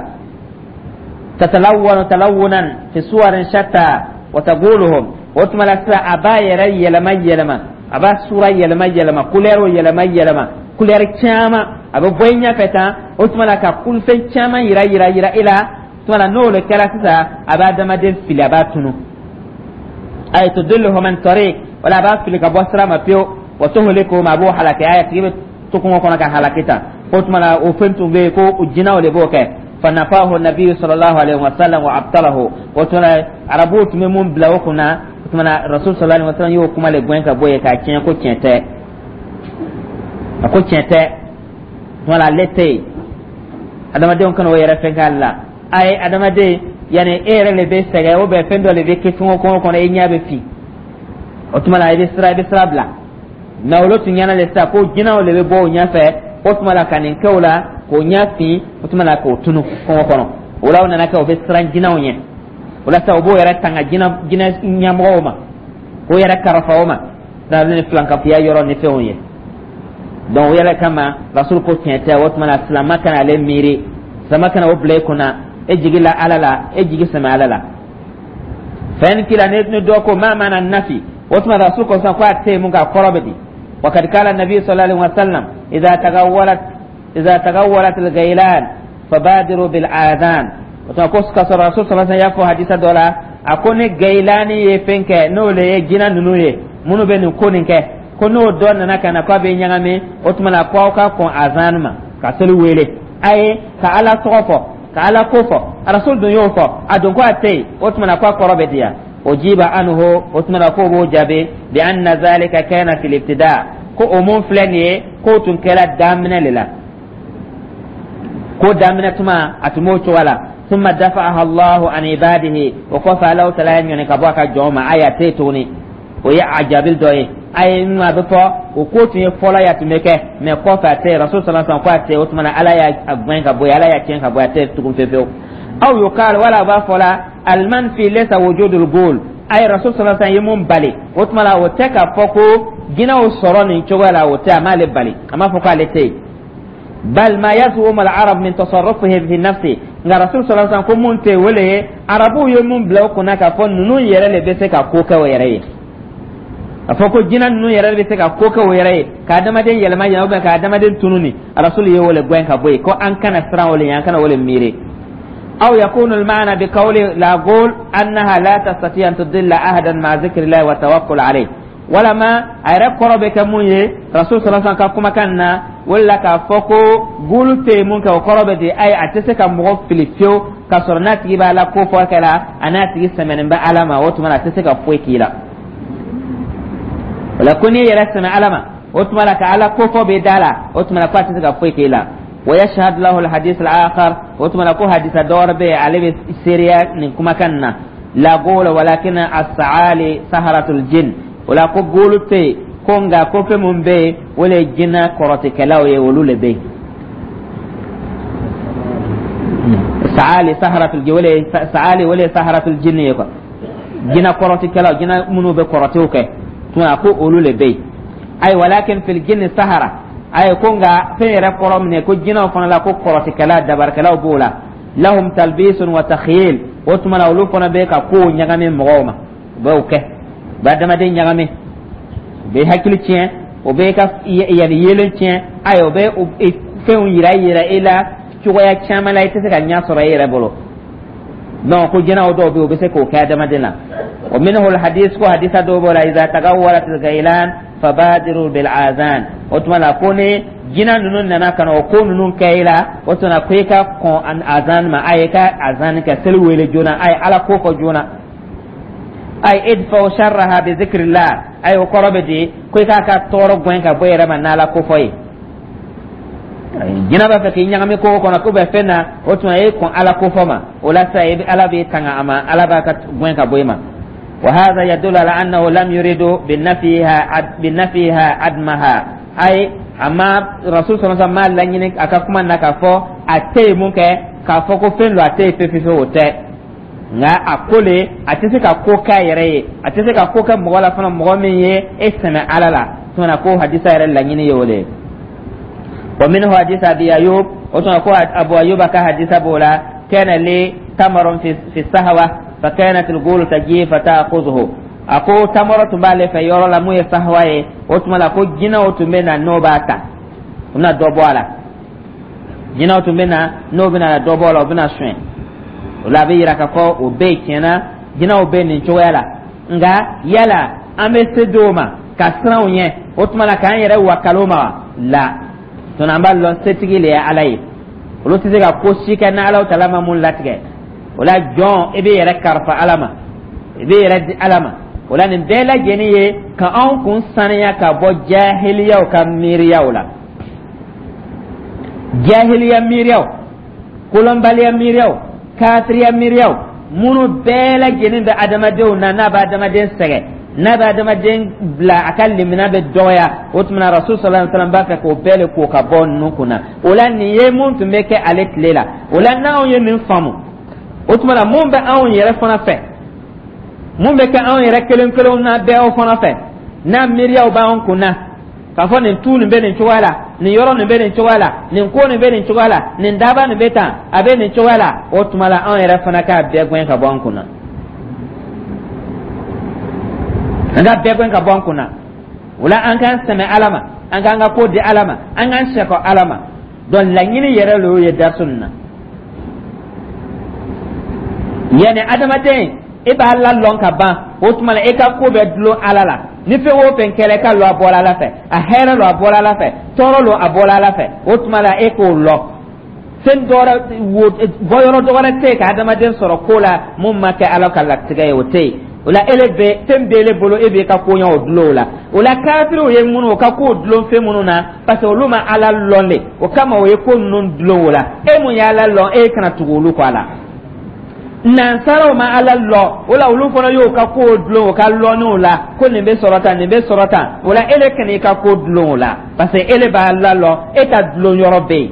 Tatalawwanu talawunan fi suwarin shatta wa taguluhum. O tuma la sisan, a b'a yɛrɛ yɛlɛma yɛlɛma, a b'a sura yɛlɛma yɛlɛma, couleur yɛlɛma yɛlɛma, couleur caman, a bɛ bɔ i ɲɛfɛ tan. O tuma la, ka kulufɛn caman yira yira yira i la. O tuma la, n'o le kɛra sisan, a b'a adamaden fili, a b'a tunu. Ay tudilluhum an tariq, wala a b'a fili ka bɔ sira ma pewu. Wa tuhlikuhum, a b'o halaki, a tigi bɛ to kungo kɔnɔ ka halaki tan. O tuma la, o fɛn tun bɛ yen ko jinɛw de b'o kɛ. Fanafahu nabiyu sallallahu alaihi wasallam wa abtalahu. O tuma la, arabuw tun bɛ mun bila o kunna, o tuma na Rasul sallallahu alaihi wasallam y'o kuma le gɛn ka bɔ yen k'a tiɲɛ, ko tiɲɛ tɛ. A ko tiɲɛ tɛ. O tuma la, ale tɛ yen. Adamadenw kana o yɛrɛ fɛn k'ale la. A ye adamaden, yanni e yɛrɛ le bɛ sɛgɛn, o bɛ fɛn dɔ le bɛ kɛ kungo kɔnɔ kɔnɔ, e ɲɛ bɛ fin. O tuma la, i bɛ sira bila. Mɛ olu tun ɲɛna le sisan ko jinɛw le bɛ bɔ o ɲɛfɛ. O tuma la, ka nin kɛ o la k'o ɲɛ fin, o tuma la k'o tunu kungo kɔnɔ. O la, o nana kɛ o bɛ siran jinɛw ɲɛ. O la sisan, o b'o yɛrɛ tanga jinɛ jinɛ ɲɛmɔgɔw ma, k'o yɛrɛ karafa o ma, n'ale ni filankafoya yɔrɔ ni fɛnw ye. Donc o yɛrɛ kama, Rasul ko tiɲɛ tɛ. O tuma na, silama kana ale miiri, silama kana o bila i kunna. E jigi la Ala la, e jigi sɛmɛ Ala la. Fɛn kila ni dɔ ko ma mana nafi, o tuma Rasul ko sisan ko a tɛ yen mun k'a kɔrɔ bɛ di? وقد قال النبي صلى الله عليه وسلم: إذا تغولت الغيلان فبادروا بالآذان. O tuma ko ka sɔrɔ Rasul صلى الله عليه وسلم y'a fɔ hadisa dɔ la, a ko ni gailani ye fɛn kɛ, n'o le ye jinɛ ninnu ye minnu bɛ nin ko nin kɛ, ko n'o dɔ nana ka na k'a bɛ ɲagami, o tuma na ko aw ka kɔn azan ma ka seli wele, a ye ka Ala tɔgɔ fɔ, ka Ala ko fɔ. Rasul dun y'o fɔ, a dun ko a tɛ yen. O tuma na ko a kɔrɔ bɛ di yan? أجيب عنه, o tuma na k'o b'o jaabi, بأن ذلك كان في الابتداء, ko o mun filɛ nin ye, k'o tun kɛra daminɛ de la, ko daminɛ tuma a tun b'o cogo la. ثم دفعها الله عن عباده, o kɔfɛ Alahu Taala y'a ɲɔni ka bɔ a ka jɔnw ma. Ayi, a tɛ yen tuguni. O ye a jaabi dɔ ye. A ye min a bɛ fɔ, o ko tun ye fɔlɔ ye, a tun bɛ kɛ, mɛ kɔfɛ a tɛ yen. Rasul صلى الله عليه وسلم ko a tɛ yen. O tuma na, Ala y'a gɛn ka bɔ yen, Ala y'a tiɲɛ ka bɔ yen, a tɛ yen tugun fewu fewu. أو يقال, wala a b'a fɔ la, المنفي ليس وجود الغول. Ayi, Rasul صلى الله عليه وسلم ye mun bali, o tuma la, o tɛ k'a fɔ ko jinɛw sɔrɔ nin cogoya la. O tɛ, a m'ale bali, a m'a fɔ k'ale tɛ yen. بل ما يزعم العرب من تصرفه في النفس. Nka Rasul صلى الله عليه وسلم ko mun tɛ, o le ye arabuw ye mun bila o kunna k'a fɔ ninnu yɛrɛ de bɛ se ka ko kɛ o yɛrɛ ye, a fɔ ko jinɛ ninnu yɛrɛ bɛ se ka ko kɛ o yɛrɛ ye, ka adamaden yɛlɛma yɛlɛma ou bien ka adamaden tunu. Ni Rasul ye o le gɛn ka bɔ yen, ko an kana siran o le ɲɛ, an kana o le miiri. أو يكون المعنى بقول لا غول أنها لا تستطيع أن تضل أحدا مع ذكر الله والتوكل عليه. Walama a yɛrɛ kɔrɔ bɛ kɛ mun ye Rasul صلى الله عليه وسلم ka kumakan na, wala k'a fɔ ko gulu tɛ yen mun kɛ, o kɔrɔ bɛ di? Ayi, a tɛ se ka mɔgɔ fili fiyewu k'a sɔrɔ n'a tigi b'a la ko fɔ kɛra a n'a tigi sɛmɛnen bɛ Ala ma. O tuma na, a tɛ se ka foyi k'i la. O la, ko n'i yɛrɛ sɛmɛ Ala ma, o tuma la ka Ala ko fɔ bɛ da la, o tuma na ko a tɛ se ka foyi k'i la. ويشهد له الحديث الآخر, o tuma na ko hadisa dɔwɛrɛ bɛ yen, ale bɛ seereya nin kumakan na: لا غول ولكن السعالي سحرة الجن. O la ko góolu tɛ yen, ko nka ko fɛn mun bɛ yen, o le ye jinɛ kɔrɔtikɛlaw ye, olu le bɛ yen. سعالي سحرة الجن, o le ye سعالي, o le ye سحرة الجن ye quoi, jinɛ kɔrɔtikɛlaw, jinɛ minnu bɛ kɔrɔtiw kɛ. Tuma ko olu le bɛ yen. Ayi, ولكن في الجن سحرة. Ayi, ko nka fɛn yɛrɛ kɔrɔ minɛ ko jinɛw fana la, ko kɔrɔtikɛla, dabarikɛlaw b'o la. لهم تلبيس وتخييل. O tuma na, olu fana bɛ ka kow ɲagami mɔgɔw ma, u b'o kɛ, u bɛ adamaden ɲagami, u bɛ hakili tiɲɛ, o bɛ ka yanni yelen tiɲɛ. Ayi, o bɛ fɛnw yira yira e la cogoya caman la, i tɛ se ka ɲɛ sɔrɔ e yɛrɛ bolo. Donc ko jinɛw dɔw bɛ yen, u bɛ se k'o kɛ adamaden na. ومنه الحديث, ko hadisa dɔw b'o la: إذا تغولت الغيلان فبادروا بالآذان. O tuma la, ko ni jinɛ ninnu nana ka na o ko ninnu kɛ i la, o tuma na ko i ka kɔn azan ma, a ye ka azan kɛ, seli wele joona, a ye Ala ko fɔ joona. Ay ادفعوا شرها بذكر الله. Ay, o kɔrɔ bɛ di ko i k'a ka tɔɔrɔ gɛn ka bɔ i yɛrɛ ma n'Ala ko fɔ ye. Jinɛ b'a fɛ k'i ɲagami ko kɔnɔ, ko bɛ fɛn na, o tuma e kɔn Ala ko fɔ ma, o la sisan i bɛ Ala b'i tanga a ma, Ala b'a ka gɛn ka bɔ i ma. وهذا يدل على أنه لم يريد بنفيها عدمها. أي أما رسول صلى الله عليه وسلم ma laɲini a ka kuma na k'a fɔ a tɛ yen mun kɛ, k'a fɔ ko fɛn don a tɛ yen fewu fewu, o tɛ. Nka a ko le a tɛ se ka ko k'a yɛrɛ ye, a tɛ se ka ko kɛ mɔgɔ la fana, mɔgɔ min ye e sɛmɛ Ala la. Tuma ko hadisa yɛrɛ laɲini ye o de ye. ومنه حديث أبي أيوب, o tuma ko Abu Ayyuba ka hadisa b'o la: كان لي تمر في الصهوة فكانت الغول تجي فتأخذه. A ko tamaro tun b'ale fɛ yɔrɔ la mun ye sahwa ye. O tuma la, ko jinɛw tun bɛ na n'o b'a ta, u bɛna dɔ bɔ a la. Jinɛw tun bɛ na n'o bɛna dɔ bɔ a la, u bɛna suɲɛ. O la, a bɛ yira k'a fɔ o bɛɛ ye tiɲɛna, jinɛw bɛ nin cogoya la. Nka yala an bɛ se dɔw ma ka siran u ɲɛ, o tuma la k'an yɛrɛ wakalo ma wa? La tuma, an b'a lɔn setigi le ye Ala ye. Olu tɛ se ka ko si kɛ n'Ala Taala ma mun latigɛ. O la, jɔn, i bɛ yɛrɛ kalifa Ala ma, i bɛ yɛrɛ di Ala ma. O la, nin bɛɛ lajɛlen ye ka anw kun saniya ka bɔ jahiliyaw ka miiriyaw la, jahiliya miiriyaw, kolonbaliya miiriyaw, kafiriya miiriyaw, minnu bɛɛ lajɛlen bɛ adamadenw na, n'a bɛ adamaden sɛgɛn, n'a bɛ adamaden bila a ka limina bɛ dɔgɔya. O tuma na, Rasul صلى الله عليه وسلم b'a fɛ k'o bɛɛ de ko ka bɔ ninnu kunna. O la, nin ye mun tun bɛ kɛ ale tile la. O la, n'anw ye nin faamu, o tuma na mun bɛ anw yɛrɛ fana fɛ, mun bɛ kɛ anw yɛrɛ kelen kelenw na bɛɛ fana fɛ, n'a miiriyaw b'anw kunna. K'a fɔ nin tu nin bɛ nin cogoya la, nin yɔrɔ nin bɛ nin cogoya la, nin ko nin bɛ nin cogoya la, nin daba nin bɛ tan, a bɛ nin cogoya la. O tuma la, anw yɛrɛ fana k'a bɛɛ gɛn ka bɔ an kunna, an k'a bɛɛ gɛn ka bɔ an kunna. O la, an k'an sɛmɛ Ala ma, an k'an ka ko di Ala ma, an k'an sɛkɔ Ala ma. Donc laɲini yɛrɛ le y'o ye darisu nin na. Yanni adamaden e b'a la lɔn ka ban, o tuma la e ka ko bɛ dulon Ala la. Ni fɛn o fɛn kɛra, e ka lɔn a bɔra Ala fɛ. A hɛrɛ lo, a bɔra Ala fɛ. Tɔɔrɔ lo, a bɔra Ala fɛ. O tuma la, e k'o lɔn, fɛn dɔwɛrɛ wo bɔyɔrɔ dɔwɛrɛ tɛ yen ka adamaden sɔrɔ ko la mun ma kɛ Ala ka latigɛ ye, o tɛ yen. O la, ele bɛ fɛn b'ele bolo, e b'i ka koɲɛw dulon o la. O la, kafiriw ye minnu o ka kow dulon fɛn minnu na, parce que olu ma Ala lɔn de, o kama o ye ko ninnu dulon o la. E mun y'Ala lɔn, e kana tugu olu kɔ a la. Nansaraw ma Ala lɔn, o la olu fana y'o ka kow dulon o ka lɔnniw la, ko nin bɛ sɔrɔ tan, nin bɛ sɔrɔ tan. O la, ele kana i ka ko dulon o la, parce que ele b'a la lɔn, e ka dulon yɔrɔ bɛ yen.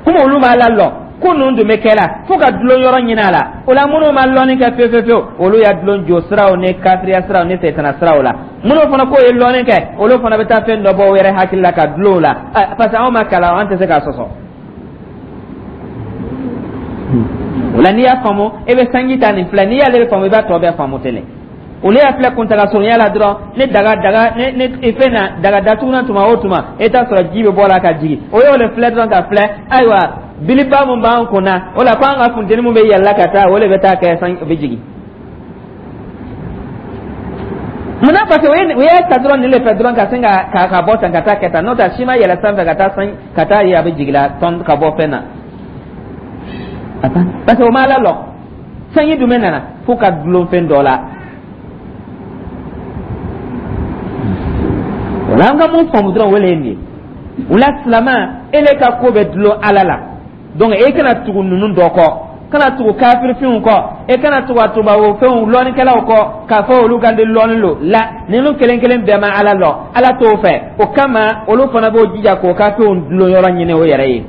Komi olu ma Ala lɔn, ko ninnu dun bɛ kɛ la fo ka dulon yɔrɔ ɲini a la. O la, minnu ma lɔnni kɛ fewu fewu fewu, olu y'a dulon jo siraw ni kafiriya siraw ni sɛtana siraw la. Minnu fana k'o ye lɔnni kɛ, olu fana bɛ taa fɛn dɔ bɔ o yɛrɛ hakili la ka dulon o la, parce que anw ma kalan, an tɛ se k'a sɔsɔ. O la, n'i y'a faamu, e bɛ sanji ta nin filɛ, n'i y'ale faamu, i b'a tɔ bɛɛ faamu telen. Olu y'a filɛ kuntaga surunya la dɔrɔn, ni daga daga ni ni fɛn na daga datugunan, tuma o tuma e t'a sɔrɔ ji bɛ bɔ la ka jigin. O y'o de filɛ dɔrɔn ka filɛ. Ayiwa, biliba mun b'an kun na, o la ko an ka funteni mun bɛ yɛlɛla ka taa, o de bɛ taa kɛ san bɛ jigin. Munna? Parce que o y'a ta dɔrɔn nin de fɛ dɔrɔn, ka sin ka bɔ tan ka taa kɛ tan. N'o tɛ, a si ma yɛlɛ sanfɛ ka taa san ka taa ye a bɛ jigin la tɔn ka bɔ fɛn na, parce que o ma Ala lɔn. Sanji dun bɛ nana fo ka dulon fɛn dɔ la. O la, an ka mun faamu dɔrɔn, o le ye nin ye. O la, silama, ele ka ko bɛ dulon Ala la. Donc e kana tugu ninnu dɔ kɔ, kana tugu kafirifinw kɔ, e kana tugu a tubabu fɛnw lɔnnikɛlaw kɔ k'a fɔ olu ka di lɔnni lo la. Ninnu kelen kelen bɛɛ ma Ala lɔn, Ala t'o fɛ. O kama, olu fana b'o jija k'o ka fɛnw dulon yɔrɔ ɲini o yɛrɛ ye.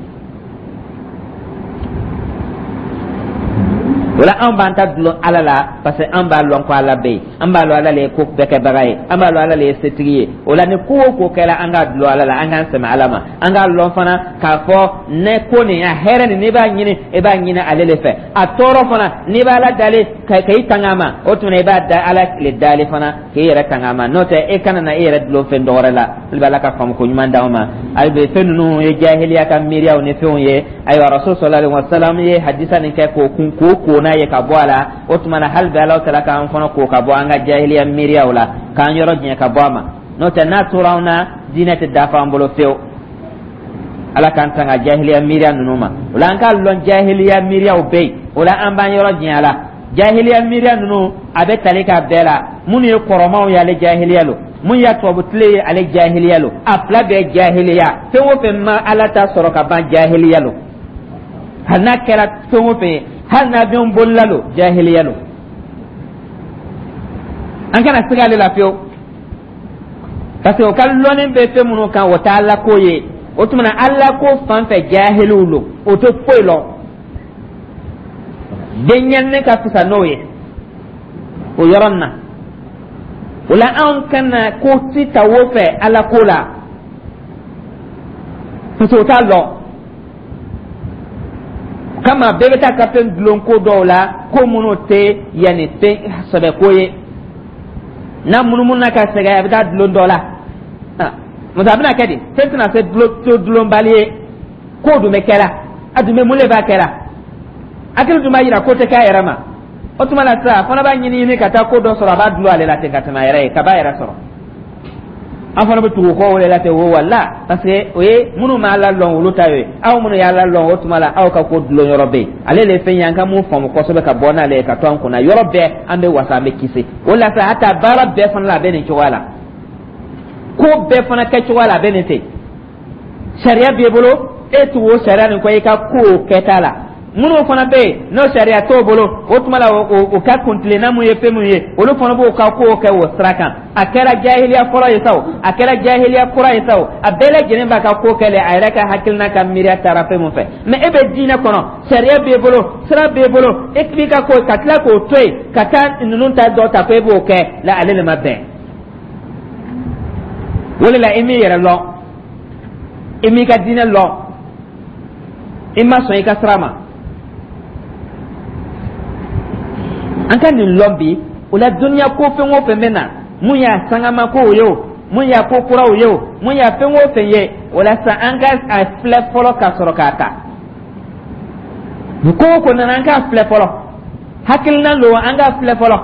O la, an b'an ta dulon Ala la, parce que an b'a lɔn ko Ala bɛ yen, an b'a lɔn Ala le ye ko bɛɛ kɛbaga ye, an b'a lɔn Ala le ye setigi ye. O la, ni ko o ko kɛra, an k'a dulon Ala la, an k'an sɛmɛ Ala ma. An k'a lɔn fana k'a fɔ ne ko nin a hɛrɛ nin, n'i b'a ɲini, i b'a ɲini ale le fɛ. A tɔɔrɔ fana, n'i b'a la dali ka i tanga a ma, o tuma i b'a da Ala le dali fana k'i yɛrɛ tanga a ma. N'o tɛ, e kana na e yɛrɛ dulon fɛn dɔ wɛrɛ la. Hali bɛ Ala ka faamu ko ɲuman d'anw ma. Hali bi, fɛn ninnu ye jahiliya ka miiriyaw ni fɛnw ye. Ayiwa, Rasul sallallahu alaihi wasallam ye hadisa nin kɛ k'o kun k'o ko n'a ye ka bɔ a la. O tuma na, hali bi Ala taala k'an fana ko ka bɔ an ka jahiliya miiriyaw la, k'an yɔrɔ janya ka bɔ a ma. N'o tɛ, n'a tora an na, diinɛ tɛ dafa an bolo fewu. Ala k'an tanga jahiliya miiriya ninnu ma. O la, an k'a lɔn jahiliya miiriyaw bɛ yen. O la, an b'an yɔrɔ janya la. Jahiliya miiriya ninnu, a bɛ tali k'a bɛɛ la. Minnu ye kɔrɔmaw ye, ale jahiliya lo. Mun y'a tubabu tile ye, ale jahiliya lo. A fila bɛɛ jahiliya. Fɛn o fɛn ma Ala ta sɔrɔ ka ban, jahiliya lo. Hali n'a kɛra fɛn o fɛn ye, hali n'a bɛ bolila lo, jahiliya lo. An kana siga ale la fiyewu, parce que o ka lɔnni bɛ fɛn minnu kan, o tɛ Ala ko ye. O tuma na, Ala ko fan fɛ, jahiliw lo, o tɛ foyi lɔn. Denyɛrɛnin ka fisa n'o ye o yɔrɔ nin na. O la, anw kana ko si ta o fɛ Ala ko la, parce que o t'a lɔn. Kama bɛɛ bɛ taa ka fɛn dulon ko dɔw la, ko minnu tɛ yanni fɛn sɛbɛ ko ye. N'a munumunu ka sɛgɛn, a bɛ taa dulon dɔ la. Musa, a bɛna kɛ di? Fɛn tɛna se to dulonbali ye. Ko dun bɛ kɛra, a dun bɛ mun de b'a kɛra? Hakili dun b'a yira ko tɛ k'a yɛrɛ ma. O tuma la sisan, a fana b'a ɲini ɲini ka taa ko dɔ sɔrɔ, a b'a dulon ale la ten ka tɛmɛ a yɛrɛ ye, ka b'a yɛrɛ sɔrɔ. An fana bɛ tugu kɔ o de la ten. O wala, parce que o ye minnu ma Ala lɔn, olu ta ye. Aw minnu y'Ala lɔn, o tuma la aw ka ko dulon yɔrɔ bɛ yen. Ale de ye fɛn ye, an ka mun faamu kosɛbɛ ka bɔ n'ale ye ka to an kunna yɔrɔ bɛɛ, an bɛ wasa, an bɛ kisi. O la sa, hata baara bɛɛ fana la, a bɛ nin cogoya la. Ko bɛɛ fana kɛcogoya la, a bɛ nin ten. Sariya b'i bolo, e tugu o sariya nin kɔ i ka ko kɛta la. Minnu fana bɛ yen n'o sariya t'o bolo, o tuma la o ka kuntilenna mun ye fɛn mun ye, olu fana b'o ka kow kɛ o sira kan. A kɛra jahiliya fɔlɔ ye sa o, a kɛra jahiliya kura ye sa o, a bɛɛ lajɛlen b'a ka ko kɛ le a yɛrɛ ka hakilina ka miiriya taara fɛn mun fɛ. Mais e bɛ diinɛ kɔnɔ, sariya b'e bolo, sira b'e bolo, e b'i ka ko ka tila k'o to yen ka taa ninnu ta dɔ ta ko e b'o kɛ la, ale de ma bɛn. O de la, i m'i yɛrɛ lɔn, i m'i ka diinɛ lɔn, i ma sɔn i ka sira ma. An ka nin lɔn bi. O la, duniya ko fɛn o fɛn bɛ na, mun y'a sangama kow ye o, mun y'a ko kuraw ye o, mun y'a fɛn o fɛn ye, o la sa, an ka a filɛ fɔlɔ ka sɔrɔ k'a ta. Nin ko o ko nana, an k'a filɛ fɔlɔ. Hakilina lo, an k'a filɛ fɔlɔ.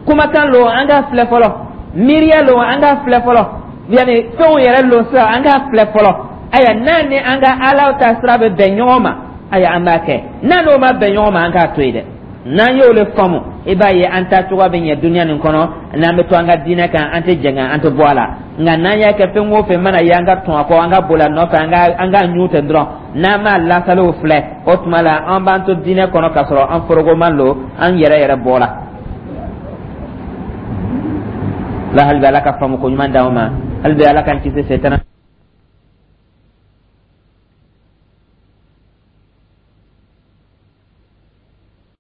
Kumakan lo, an k'a filɛ fɔlɔ. Miiriya lo, an k'a filɛ fɔlɔ. Yani fɛnw yɛrɛ lo sisan, an k'a filɛ fɔlɔ. Ayiwa, n'a ni an ka Ala ta sira bɛ bɛn ɲɔgɔn ma, ayiwa, an b'a kɛ. N'a n'o ma bɛn ɲɔgɔn ma, an k'a to yen dɛ. N'an y'o le faamu, i b'a ye an ta cogoya bɛ ɲɛ duniya nin kɔnɔ, n'an bɛ to an ka diinɛ kan, an tɛ jɛngɛ, an tɛ bɔ a la. Nka n'an y'a kɛ fɛn o fɛn mana ye, an ka tɔn a kɔ, an ka boli a nɔfɛ, an ka ɲu ten dɔrɔn, n'an m'a lasaliw filɛ, o tuma la an b'an to diinɛ kɔnɔ k'a sɔrɔ an forokoman lo, an yɛrɛ yɛrɛ bɔra la. Hali bi, Ala ka faamu ko ɲuman d'anw ma. Hali bi, Ala k'an kisi setana.